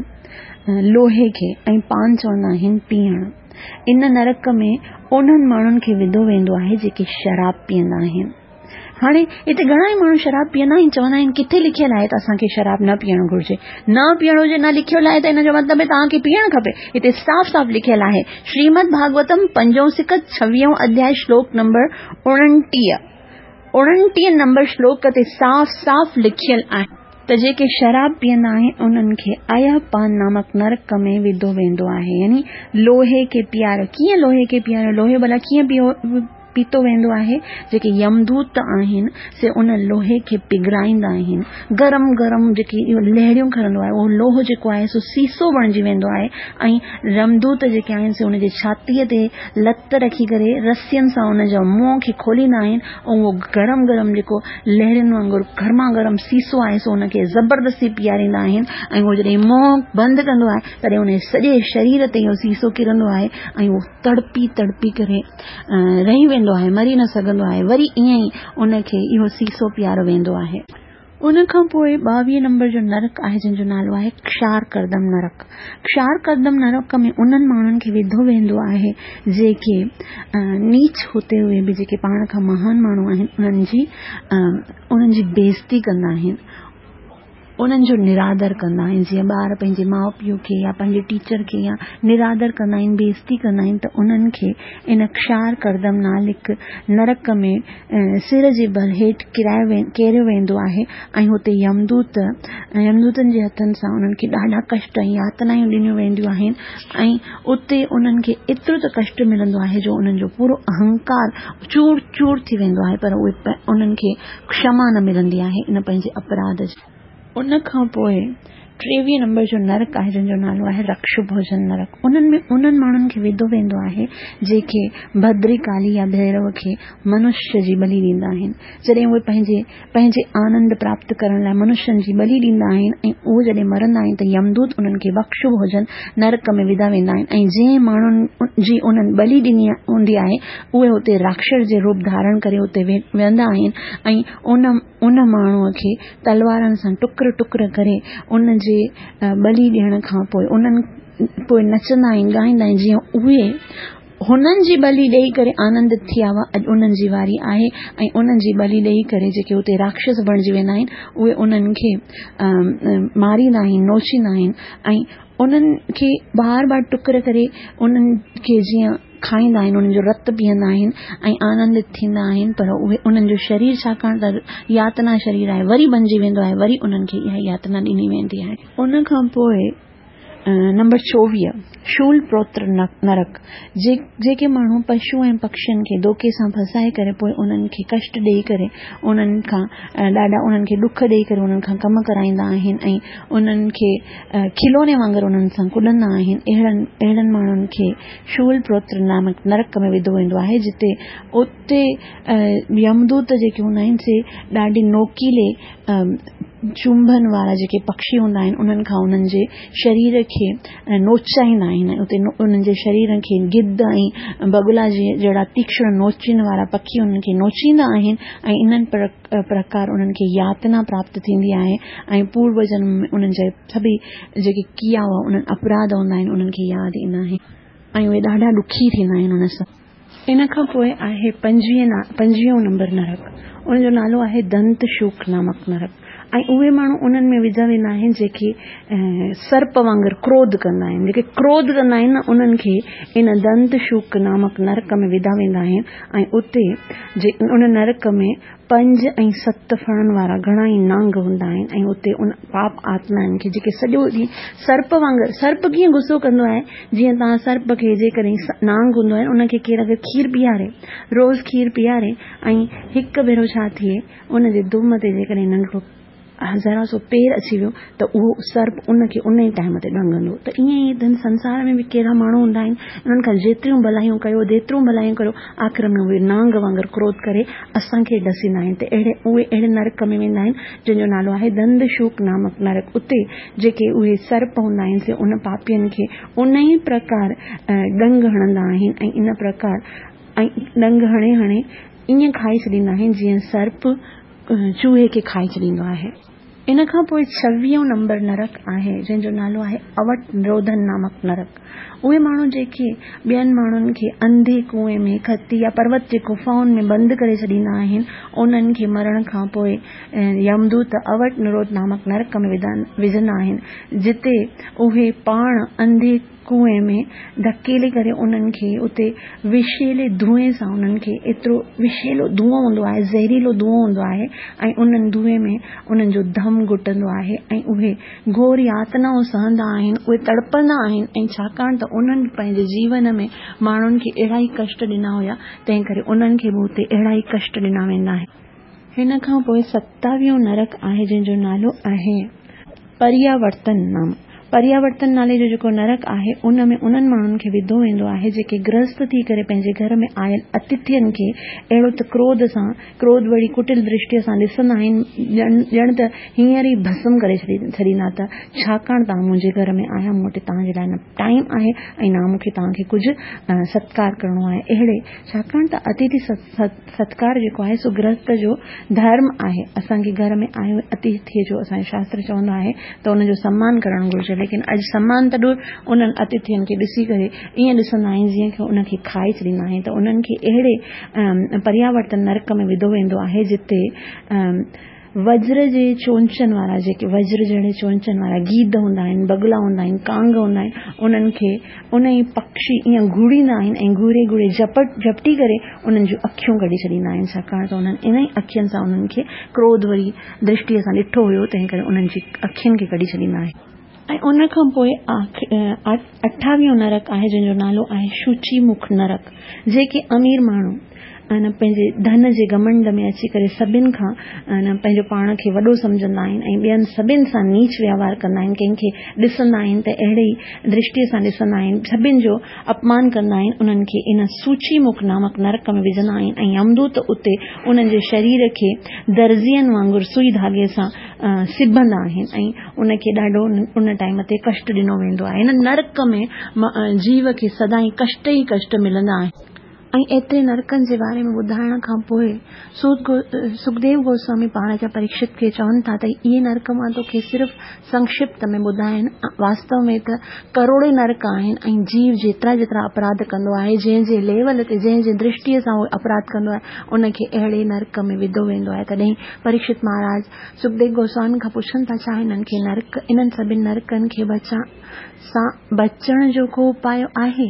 لوهي کي ۽ پان چوندا آهن پيئڻ. ان نرڪ ۾ انهن ماڻهن کي وڌو ويندو آهي جيڪي شراب پيئندا آهن. هاڻي هتي گهڻا ئي ماڻهو شراب پيئندا آهن چوندا آهن ڪٿي لکيل آهي ته اسان کي شراب نه پيئڻ گهرجي نه پيئڻ هجي نه لکيل آهي ته ان جو مطلب توهان کي پيئڻ کپي هتي صاف صاف لکيل آهي شريمد ڀاڳوتم پنجون سڪت ڇويهون اڌياء شلوڪ نمبر 29 29 نمبر شلوڪ تي صاف صاف لکيل آهي ته جيڪي شراب پيئندا آهن انهن کي ايا پان نامڪ نرڪ ۾ وڌو ويندو آهي يعني لوهي کي پياريو ڪيئن لوهي کي پياريو لوهي ڀلا ڪيئن پيو پيتو ويندو آهي، جيڪي يمدوت آهن سي ان لوهي کي پگهرائيندا آهن، گرم گرم جيڪي اهو لهريون کڻندو آهي اهو لوهه جيڪو آهي سو سيسو بڻجي ويندو آهي ۽ يمدوت جيڪي آهن سي ان جي ڇاتيء تي لت رکي ڪري رسين سان ان جا منهن کي کوليندا آهن ۽ اهو گرم گرم جيڪو لهرين وانگر گرما گرم سيسو آهي سو ان کي زبردستي پياريندا آهن ۽ اهو جڏهن منهن بند ڪندو آهي تڏهن ان جي سڄي شرير تي اهو سيسو ڪرندو آهي ۽ اهو تڙپي تڙپي ڪري رهي ويندو آهي، مري نه سگهندو آهي، وري ائين ئي ان کي اهو سيسو پياريو ويندو آهي. ان کان پوء 22 نمبر جو نرڪ آهي جنهن جو نالو آهي ڪشار ڪردم نرڪ. ڪشار ڪردم نرڪ ۾ انهن ماڻهن کي وڌو ويندو آهي جيڪي نيچ هوتي هوئي به جيڪي پاڻ کان مهان ماڻهو آهن انهن جي انهن جي بيعزتي ڪندا آهن. انهن جو نرادر ڪندا آهن جيئن ٻار پنهنجي ماء پيء کي يا پنهنجي ٽيچر کي يا نرادر ڪندا آهن بيعزتي ڪندا آهن ته انهن کي ان ڪشار ڪردم نالڪ نرڪ ۾ سر جي ڀر هيٺ ڪيرايو ڪيريو ويندو آهي ۽ هتي يمدوت يمدوتن جي هٿن سان انهن کي ڏاڍا ڪشٽ ۽ ياتنائون ڏنيون وينديون آهن ۽ اتي انهن کي ايترو ته ڪشٽ ملندو آهي جو انهن جو پورو اهنڪار چور چور ٿي ويندو آهي پر اهي انهن کي ڪشما نه ملندي آهي ان پنهنجي اپراڌ جي. ان کان پوء ٽيويهه نمبر جو نرڪ آهي جنهن جو نالو آهي رڪش ڀوجن نرڪ. انهن ۾ انهن ماڻهن کي وڌو ويندو آهي جيڪي ڀدري ڪالي يا ڀيرو کي منشيه جي ٻلي ڏيندا آهن. جڏهن اهي پنهنجي پنهنجي آنند پراپت ڪرڻ لاء منشين جي ٻلي ڏيندا آهن ۽ اهي جڏهن مرندا آهن ته يمدوت انهن کي بخش ڀوجن نرڪ ۾ وڌا ويندا آهن ۽ جنهن ماڻهن جي انهن ٻلي ڏني هوندي آهي اهي اتي راڪشس جي روپ ڌارڻ ڪري اتي ويهندا آهن ۽ ان ان ماڻهوء کي تلوارن سان ٽڪر ٽڪر ڪري ان جي ٻلي ڏيڻ کان پوء انهن پوء نچندا آهن ڳائيندا آهن جيئن اهي هنن جي ٻلي ڏيئي ڪري آنندت ٿيا هئا اڄ انهن جي واري آهي ۽ انهن جي ٻلي ڏيئي ڪري جيڪي اتي راڪشس بڻجي ويندا آهن اهي انهن کي ماريندا آهن نوچيندا آهن ۽ انهن کي بار بار ٽڪر ڪري انهن کي جيئن کائيندا آهن انهن جو رت پيئندا آهن ۽ آنندت ٿيندا آهن پر اهي انهن جو شرير ڇاڪاڻ ته ياتنا شرير آهي وري بنجي ويندو آهي وري انهن کي اها ياتنا ڏني ويندي آهي. ان کان پوء نمبر 24 شول پروتر نرڪ جيڪي ماڻهو پشو ۽ پکشين کي دوکي سان ڦاسائي ڪري پوء انهن کي ڪشٽ ڏيئي ڪري انهن کان ڏاڍا انهن کي ڏک ڏيئي ڪري انهن کان ڪم ڪرائيندا آهن ۽ انهن کي کلوني وانگر انهن سان ڪڏندا آهن اهڙن اهڙن ماڻهن کي شول پروتر نامڪ نرڪ ۾ وڌو ويندو آهي جتي اتي يمدوت جيڪي هوندا آهن سي ڏاڍي نوڪيلي چونڀن وارا جيڪي پکشي هوندا آهن انهن کان انهن جي شرير کي نوچائيندا آهن اتي انهن جي شرير کي گد ۽ بگلا جي جهڙا تيڪشڻ نوچين وارا پکي انهن کي نوچيندا آهن ۽ انهن پرڪار انهن کي ياتنا پراپت ٿيندي آهي ۽ پورو جنم ۾ انهن جا سڀئي جيڪي ڪيا هئا انهن اپراڌ هوندا آهن انهن کي ياد ايندا آهن ۽ اهي ڏاڍا ڏکي ٿيندا آهن ان سان. ان کان پوء آهي پنجويهون نمبر نرڪ ان جو نالو آهي دنت شوڪ نامڪ نرڪ ۽ اهي ماڻهو انهن ۾ وڌا ويندا آهن جيڪي سرپ وانگر ڪروڌ ڪندا آهن جيڪي ڪروڌ ڪندا آهن نه انهن کي ان دنت شوڪ نامڪ نرڪ ۾ وڌا ويندا آهن ۽ اتي جي ان نرڪ ۾ پنج ۽ ست ڦڻن وارا گهڻا ئي نانگ هوندا آهن ۽ اتي ان پاپ آتمائن کي جيڪي سڄو ڏينهن سرپ وانگر سرپ ڪيئن غصو ڪندو آهي جيئن توهان سرپ کي جيڪڏهن نانگ هوندو آهي ان کي ڪير اگر کير پياري روز کير پياري ۽ هڪ ڀيرو ڇا ٿئي ان جي دم تي جيڪڏهن ننڍڙو ذرا سو پير اچي ويو ته اهو سرپ ان کي ان ئي ٽائيم تي ڏنگندو ته ائين ئي هن سنسار ۾ به ڪهڙا ماڻهو هوندا آهن انهن کان جيتريون ڀلايون ڪيو جيتريون ڀلايون ڪيو آخر ۾ اهي نانگ وانگر ڪروڌ ڪري اسان کي ڏسيندا آهن ته اهڙي اهي اهڙي نرڪ ۾ ويندا آهن جنهن جو نالو آهي دند شوڪ نامڪ نرڪ اتي جيڪي اهي سرپ هوندا آهن سي ان پاپين کي ان ئي پرڪار ڏنگ هڻندا آهن ۽ ان پرڪار ۽ ڏنگ هڻي هڻي ائين کائي ڇڏيندا آهن جيئن سرپ چوهي کي کائي ڇڏيندو آهي. ان کان پوء ڇويهون نمبر نرڪ آهي جنهن جو نالو آهي اوٽ نروڌن نامڪ نرڪ. اهي ماڻهو جيڪي ٻين ماڻهن کي انڌي ڪوئين ۾ کتي يا پروت جي گفائن ۾ بند ڪري ڇڏيندا آهن انهن کي مرڻ کان پوء يمدوت اوٽ نروڌ نامڪ نرڪ ۾ وجهندا آهن جتي اهي پاڻ انڌي ڪوئين ۾ ڌڪيلي ڪري انهن کي اتي وشيلي دونهين سان انهن کي ايترو وشيلو دونهون هوندو آهي زهريلو دونهون هوندو آهي ۽ انهن دونهين ۾ انهن جو دم گهٽندو آهي ۽ اهي گهور ياتنائون سهندا آهن اهي تڙپندا آهن ۽ ڇاڪاڻ ته انهن پنهنجي جيون ۾ ماڻهن کي اهڙا ئي ڪشٽ ڏنا هيا تنهن ڪري انهن کي به اتي اهڙا ئي ڪشٽ ڏنا ويندا آهن. هن کان پوء ستاويهون نرڪ آهي جنهن جو نالو آهي پرياورتن نام. پرياورتن نالي جو جيڪو نرڪ آهي ان ۾ انهن ماڻهن کي وڌو ويندو آهي جيڪي گرهست ٿي ڪري پنهنجي گهر ۾ آيل اتٿين کي اهڙو ته ڪروڌ سان ڪروڌ ڀري ڪٽل درشٽيء سان ڏسندا آهن ڄڻ ته هينئر ئي ڀسم ڪري ڇڏيندا ته ڇاڪاڻ توهان منهنجي گهر ۾ آيا مون وٽ توهان جي لاء نه ٽائيم آهي ۽ نه مون کي توهان کي ڪجهه ستڪار ڪرڻو آهي اهڙي ڇاڪاڻ ته اتٿي ستڪار جيڪو آهي سو گرهست جو ڌرم آهي. اسان کي گهر ۾ آيو اتٿيء جو اسان جو شاستر چوندو آهي ته ان جو سمان ڪرڻ گهرجي ليڪن اڄ سمان ته ڏور انهن اتٿين کي ڏسي ڪري ائين ڏسندا آهن جيئن ڪي ان کي کائي ڇڏيندا آهن ته انهن کي اهڙي پرياورتن نرڪ ۾ وڌو ويندو آهي جتي. وجر جي چونچن وارا جيڪي وجر جهڙي چونچن وارا گيد هوندا آهن، بگلا هوندا آهن، ڪانگ هوندا آهن، انهن کي انهي پکشي ائين گهوريندا آهن ۽ گهوري گهوري جهپٽ جهپٽي ڪري انهن جون اکيون ڪڍي ڇڏيندا آهن، ڇاڪاڻ ته انهن انهي اکين سان انهن کي ڪروڌ وري درشٽيء سان ڏٺو هيو، تنهن ڪري انهن جي اکين کي ڪڍي ڇڏيندا آهن. ۽ ان کان پوء اٺاويهون نرڪ آهي جنهن جو نالو آهي شوچي مک نرڪ، جيڪي امير ماڻهو پنهنجي ڌن جي گهمنڊ ۾ اچي ڪري سڀن کان پنهنجو پاڻ کي وڏو سمجهندا آهن ۽ ٻين سڀن سان نيچ ويوهار ڪندا آهن، ڪنهن کي ڏسندا آهن ته اهڙي ئي درشٽيء سان ڏسندا آهن، سڀن جو اپمان ڪندا آهن، انهن کي ان سوچي مک نامڪ نرڪ ۾ وجهندا آهن ۽ يمدوت اتي انهن جي شرير کي درزين وانگر سوئي ڌاڳي سان سبندا آهن ۽ ان کي ڏاڍو ان ٽائيم تي ڪشٽ ڏنو ويندو آهي. هن نرڪ ۾ جيو کي سدائين ڪشٽ ئي ڪشٽ ملندا آهن. ۽ ايتري نرڪن جي باري ۾ ٻڌائڻ کان پوء سکديو گوسوامي مهاراجا پريڪشت کي چون ٿا ته اهي نرڪ مان توکي صرف سنڪشپت ۾ ٻڌايا آهن، واستو ۾ ته ڪروڙين نرڪ آهن ۽ جيو جيترا جيترا اپراڌ ڪندو آهي، جنهن جنهن ليول تي، جنهن جنهن درشٽيء سان اهو اپراڌ ڪندو آهي، ان کي اهڙي نرڪ ۾ وڌو ويندو آهي. تڏهن پريڪشت مهاراج سکديو گوسوامي کان پڇن ٿا، ڇا هنن کي نرڪ، انهن سڀني نرڪن کي بچان سان بچڻ جو ڪو اپاء آهي؟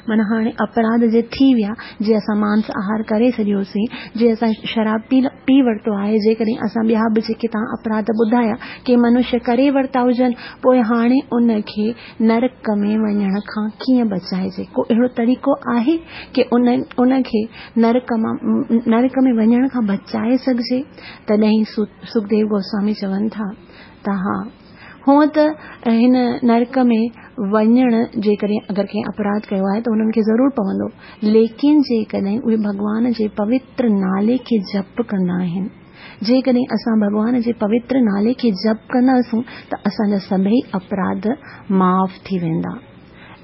معنيٰ هاڻي اپراڌ جي ٿي ويا، جي اسان مانس آهار ڪري ڇڏيوسين، جي اسان شراب پي پي ورتو آهي، جيڪڏهن اسان ٻيا به جيڪي توهان اپراڌ ٻڌايا، ڪي منشيه ڪري ورتا هجن، پوء هاڻي ان کي نرڪ ۾ وڃڻ کان ڪيئن بچائجي؟ ڪو اهڙو طريقو آهي ڪي ان ان کي نرڪ مان نرڪ ۾ وڃڻ کان بچائي سگهجي؟ تڏهن سکديو گوسوامي چون ٿا ته ها، هونء ته هن نرڪ ۾ وڃڻ جيڪڏهن اگر ڪنهن اپراڌ ڪيو آهي ته انهن کي ضرور پوندو، ليڪن جيڪڏهن اهي ڀڳوان جي پوتر نالي کي جپ ڪندا آهن، جيڪڏهن اسان ڀڳوان جي پوتر نالي کي جپ ڪنداسون ته اسان جا سڀئي اپراڌ معاف ٿي ويندا.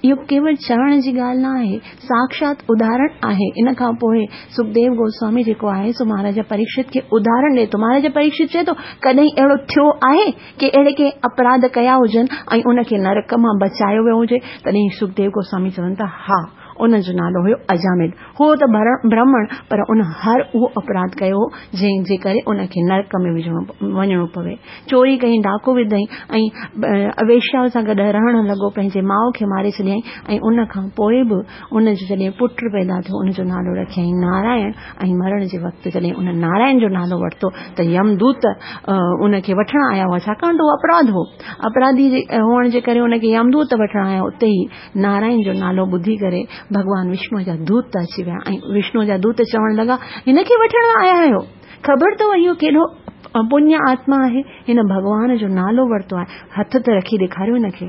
اهو ڪيول چوڻ جي ڳالهه نه آهي، ساڪشات اداهرڻ آهي. ان کان پوء سکديو گوسوامي جيڪو آهي سو مهاراجا پريڪشت کي اداهرڻ ڏئي ٿو. مهاراجا پريڪشت چئي ٿو، ڪڏهن اهڙو ٿيو آهي ڪي اهڙي ڪنهن اپراڌ ڪيا هجن ۽ ان کي نرڪ مان بچايو ويو هجي؟ تڏهن سکديو گوسوامي چون ٿا، ها، ان جو نالو هيو اجامل. هو ته برهمڻ پر ان هر اهو اپراڌ ڪيو هو جنهن جي ڪري ان کي نرڪ ۾ وڃڻو پوي. چوري ڪيائين، ڊاڪو وڌائين ۽ ويشيا سان گڏ رهڻ لڳو، پنهنجي ماء کي ماري ڇڏيائين ۽ ان کان پوء به ان جو جڏهن پٽ پيدا ٿيو ان جو نالو رکيائين نارائڻ ۽ مرڻ جي وقت جڏهن ان نارائڻ جو نالو ورتو ته يم دوت ان کي وٺڻ آيا هئا ڇاڪاڻ ته اهو اپراڌ هو، اپراڌي هئڻ جي ڪري ان کي يم دوت وٺڻ آيا اتي ئي نارائڻ جو نالو ٻڌي ڪري ڀڳوان وشنوء جا دوت اچي ويا ۽ وشنوء جا دوت چوڻ لڳا، هن کي وٺڻ آيا آهيو؟ خبر اٿو اهو ڪيڏو پڃ آتما آهي؟ هن ڀڳوان جو نالو ورتو آهي، هٿ ته رکي ڏيکاريو هن کي.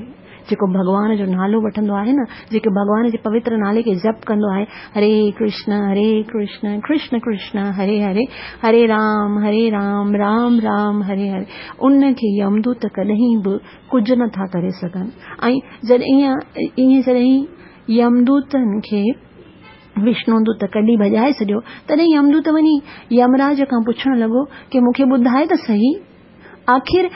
جيڪو ڀڳوان جو نالو وٺندو آهي نه، جيڪو ڀڳوان جي پوتر نالي کي جپ ڪندو آهي، هري ڪرشن هري ڪرشن ڪرشن ڪرشن هري هري، هري رام هري رام رام رام هري هري، ان کي يمدوت ڪڏهن به ڪجهه نه ٿا ڪري سگهن ۽ جڏهن ائين جڏهن يمدوتن کي وشنو دوت ڪڍي ڀڄائي ڇڏيو تڏهن يمدوت وڃي يمراج کان پڇڻ لڳو ڪي مون کي ٻڌاء ته سهي آخر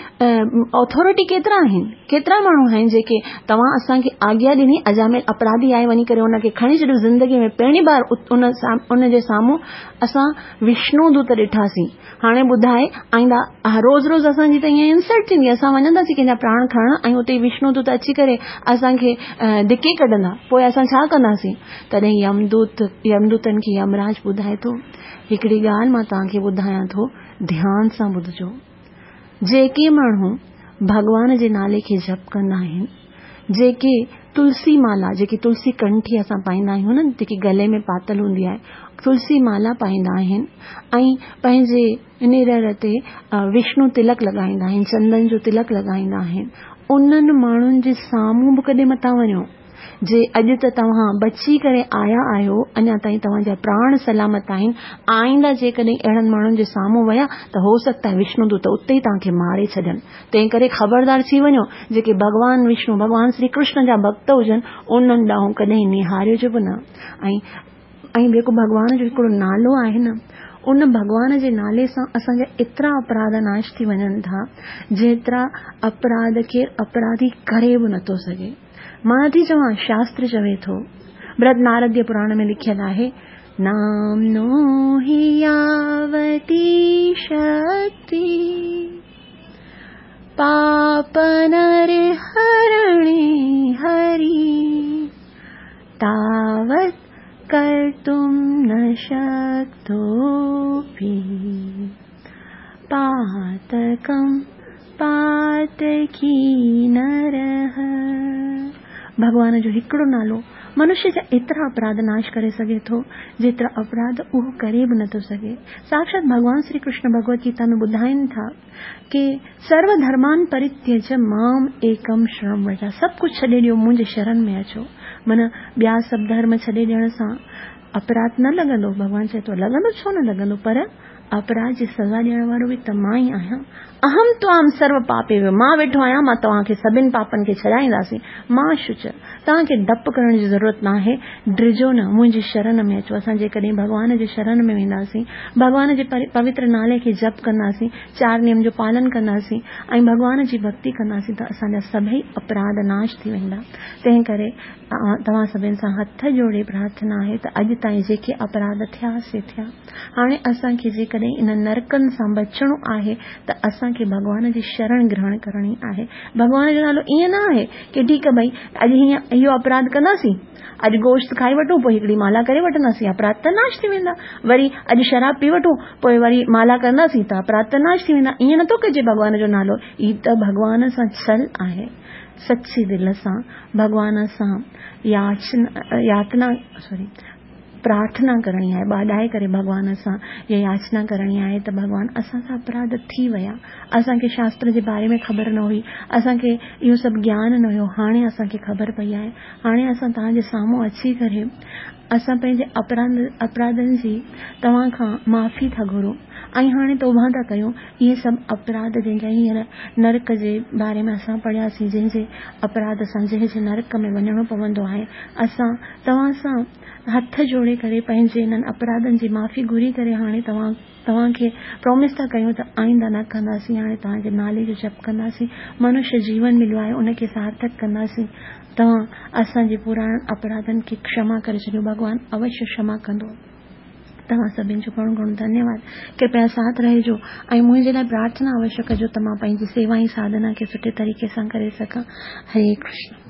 اٿارٽي ڪيترا آهن ڪيترا ماڻهو آهن جيڪي توهان اسان کي آگيا ڏني اجامل اپراڌي آهي وڃي ڪري ان کي کڻي ڇڏيو زندگي ۾ پهرين بار ان جي سامهون اسان وشنو دوت ڏٺاسين هاڻي ٻڌاء آئنده روز روز اسان جي ته ائين انسلٽ ٿيندي اسان وڃنداسين ڪنهن جا پراڻ کڻڻ ۽ اتي وشنو دوت اچي ڪري اسان کي ڌڪي ڪڍندا پوء اسان ڇا ڪنداسين تڏهن يمدوت يمدوتن کي يمراج ٻڌائي ٿو هڪڙي ڳالهه مان توهان کي ٻڌايان ٿو ڌيان سان ٻڌجو جيڪي ماڻهو ڀڳوان جي نالي کي جپ ڪندا آهن جيڪي تلسي مالا جيڪي تلسي ڪنٺي اسان پائيندا آهيون نه جيڪي گلي ۾ پاتل هوندي آهي تلسي مالا پائيندا آهن ۽ پنهنجي نرڙ تي وشنو تلڪ لڳائيندا آهن چندن جو تلڪ لڳائيندا آهن انهن ماڻهن جي سامهون به ڪڏهن متان وڃو جي اڄ ته توهان بچي ڪري آيا آهيو، اڃا تائين توهان جا پراڻ سلامت آهن، آئنده جيڪڏهن اهڙن ماڻهن جي سامهون ويا ته هو سگهتا آهي وشنو دوت اتي ئي توهان کي ماري ڇڏن. تنهن ڪري خبردار ٿي وڃو، جيڪي ڀڳوان وشنو، ڀڳوان سري ڪرشن جا ڀڳت هجن، انهن ڏانهن ڪڏهن نهاريوج به نه. ۽ ۽ جيڪو ڀڳوان جو هڪڙو نالو آهي نه، ان ڀڳوان جي نالي سان اسان جا ايترا اپراڌ ناش ٿي وڃن ٿا، جيترا اپراڌ ڪير اپراڌي ڪري به نٿو سگهي. مان نٿي چوان، شاستر چوي ٿو. برهد نارديه پراڻ ۾ لکيل آهي. नाम्नो हि यावती शक्ति पापनरहरणे हरि तावत् कर्तुं न शक्तोऽपि पातकं पातकी नरः। भॻवान जो हिकिड़ो नालो मनुष्य जा एतिरा अपराध नाश करे सघे थो जेतिरा अपराध उहो करे बि नथो सघे। साक्षात भॻवान श्री कृष्ण भगवत गीता में ॿुधाइनि था कि सर्व धर्मान परित्यज माम एकम शरण व्रज, सभु कुझु छॾे ॾियो मुंहिंजे शरण में अचो। माना ॿिया सभु धर्म छॾे ॾियण सां अपराध न लॻंदो। भॻवान चए थो लॻंदो छो न लॻंदो, पर अपराध जी सज़ा ॾियण वारो बि त मां ई आहियां। अहम त्वाम सर्व पापे, मां वेठो आहियां, मां तव्हांखे सभिनी पापनि खे छॾाईंदासीं। मां शुच, तव्हांखे डपु करण जी ज़रूरत न आहे, ड्रिजो न, मुंहिंजी शरण में अचो। असां जेकॾहिं भॻवान जे शरण में वेंदासीं, भॻवान जे पवित्र नाले खे जप कंदासीं, चार नियम जो पालन कंदासीं ऐं भॻवान जी भक्ति कंदासीं त असांजा सभई अपराध नाश थी वेंदा। तंहिं करे तव्हां सभिनी सां हथ जोड़े प्रार्थना आहे त अॼु ताईं जेके अपराध थिया से थिया, हाणे असांखे जेकॾहिं इन नरकनि सां बचिणो आहे त असांखे भॻवान जी शरण ग्रहण करणी आहे। भॻवान जो नालो ईअं न आहे की ठीकु आहे भई अॼु हीअं इहो अपराध कंदासीं, अॼु गोश्त खाई वठूं पोइ हिकिड़ी माला करे वठंदासीं, अपराध त नाश थी वेंदा। वरी अॼु शराब पी वठूं पोइ वरी माला कंदासीं त अपराध त नाश थी वेंदा। ईअं नथो कजे भॻवान जो नालो, हीअ त भॻवान सां छल आहे। सची दिलि सां भॻवान सां यातना प्रार्थना करणी आहे, ॿाॾाए करे भॻवान सां या याचना करणी आहे त भॻवान असां सां अपराध थी विया, असांखे शास्त्र जे बारे में ख़बर न हुई, असांखे इहो सभु ज्ञान न हुयो, हाणे असांखे ख़बर पई आहे, हाणे असां तव्हांजे साम्हूं अची करे असां पंहिंजे अपराधनि जी तव्हां खां माफ़ी था घुरूं ऐं हाणे तौबा था कयूं। इहे सभु अपराध जंहिंजा हींअर नरक जे बारे में असां पढ़ियासीं, जंहिंजे अपराध सां जंहिंजे नरक में वञिणो पवंदो आहे, असां तव्हां सां हथ जोड़े करे पंहिंजे इन्हनि अपराधनि जी माफ़ी घुरी करे हाणे तव्हांखे प्रोमिस था कयूं त आइंदा न कंदासीं, हाणे तव्हांजे नाले जो जप कंदासीं, मनुष्य जीवन मिलियो आहे उनखे सार्थक कंदासीं। तव्हां असांजे पुराणनि अपराधनि खे क्षमा करे छॾियो, भॻवान अवश्य क्षमा कंदो। तव्हां सभिनी जो घणो घणो धन्यवाद। कृपया साथ रहिजो ऐं मुंहिंजे लाइ प्रार्थना अवश्य कजो त मां पंहिंजी सेवा ऐं साधना खे सुठे तरीक़े सां करे सघां। हरे कृष्ण।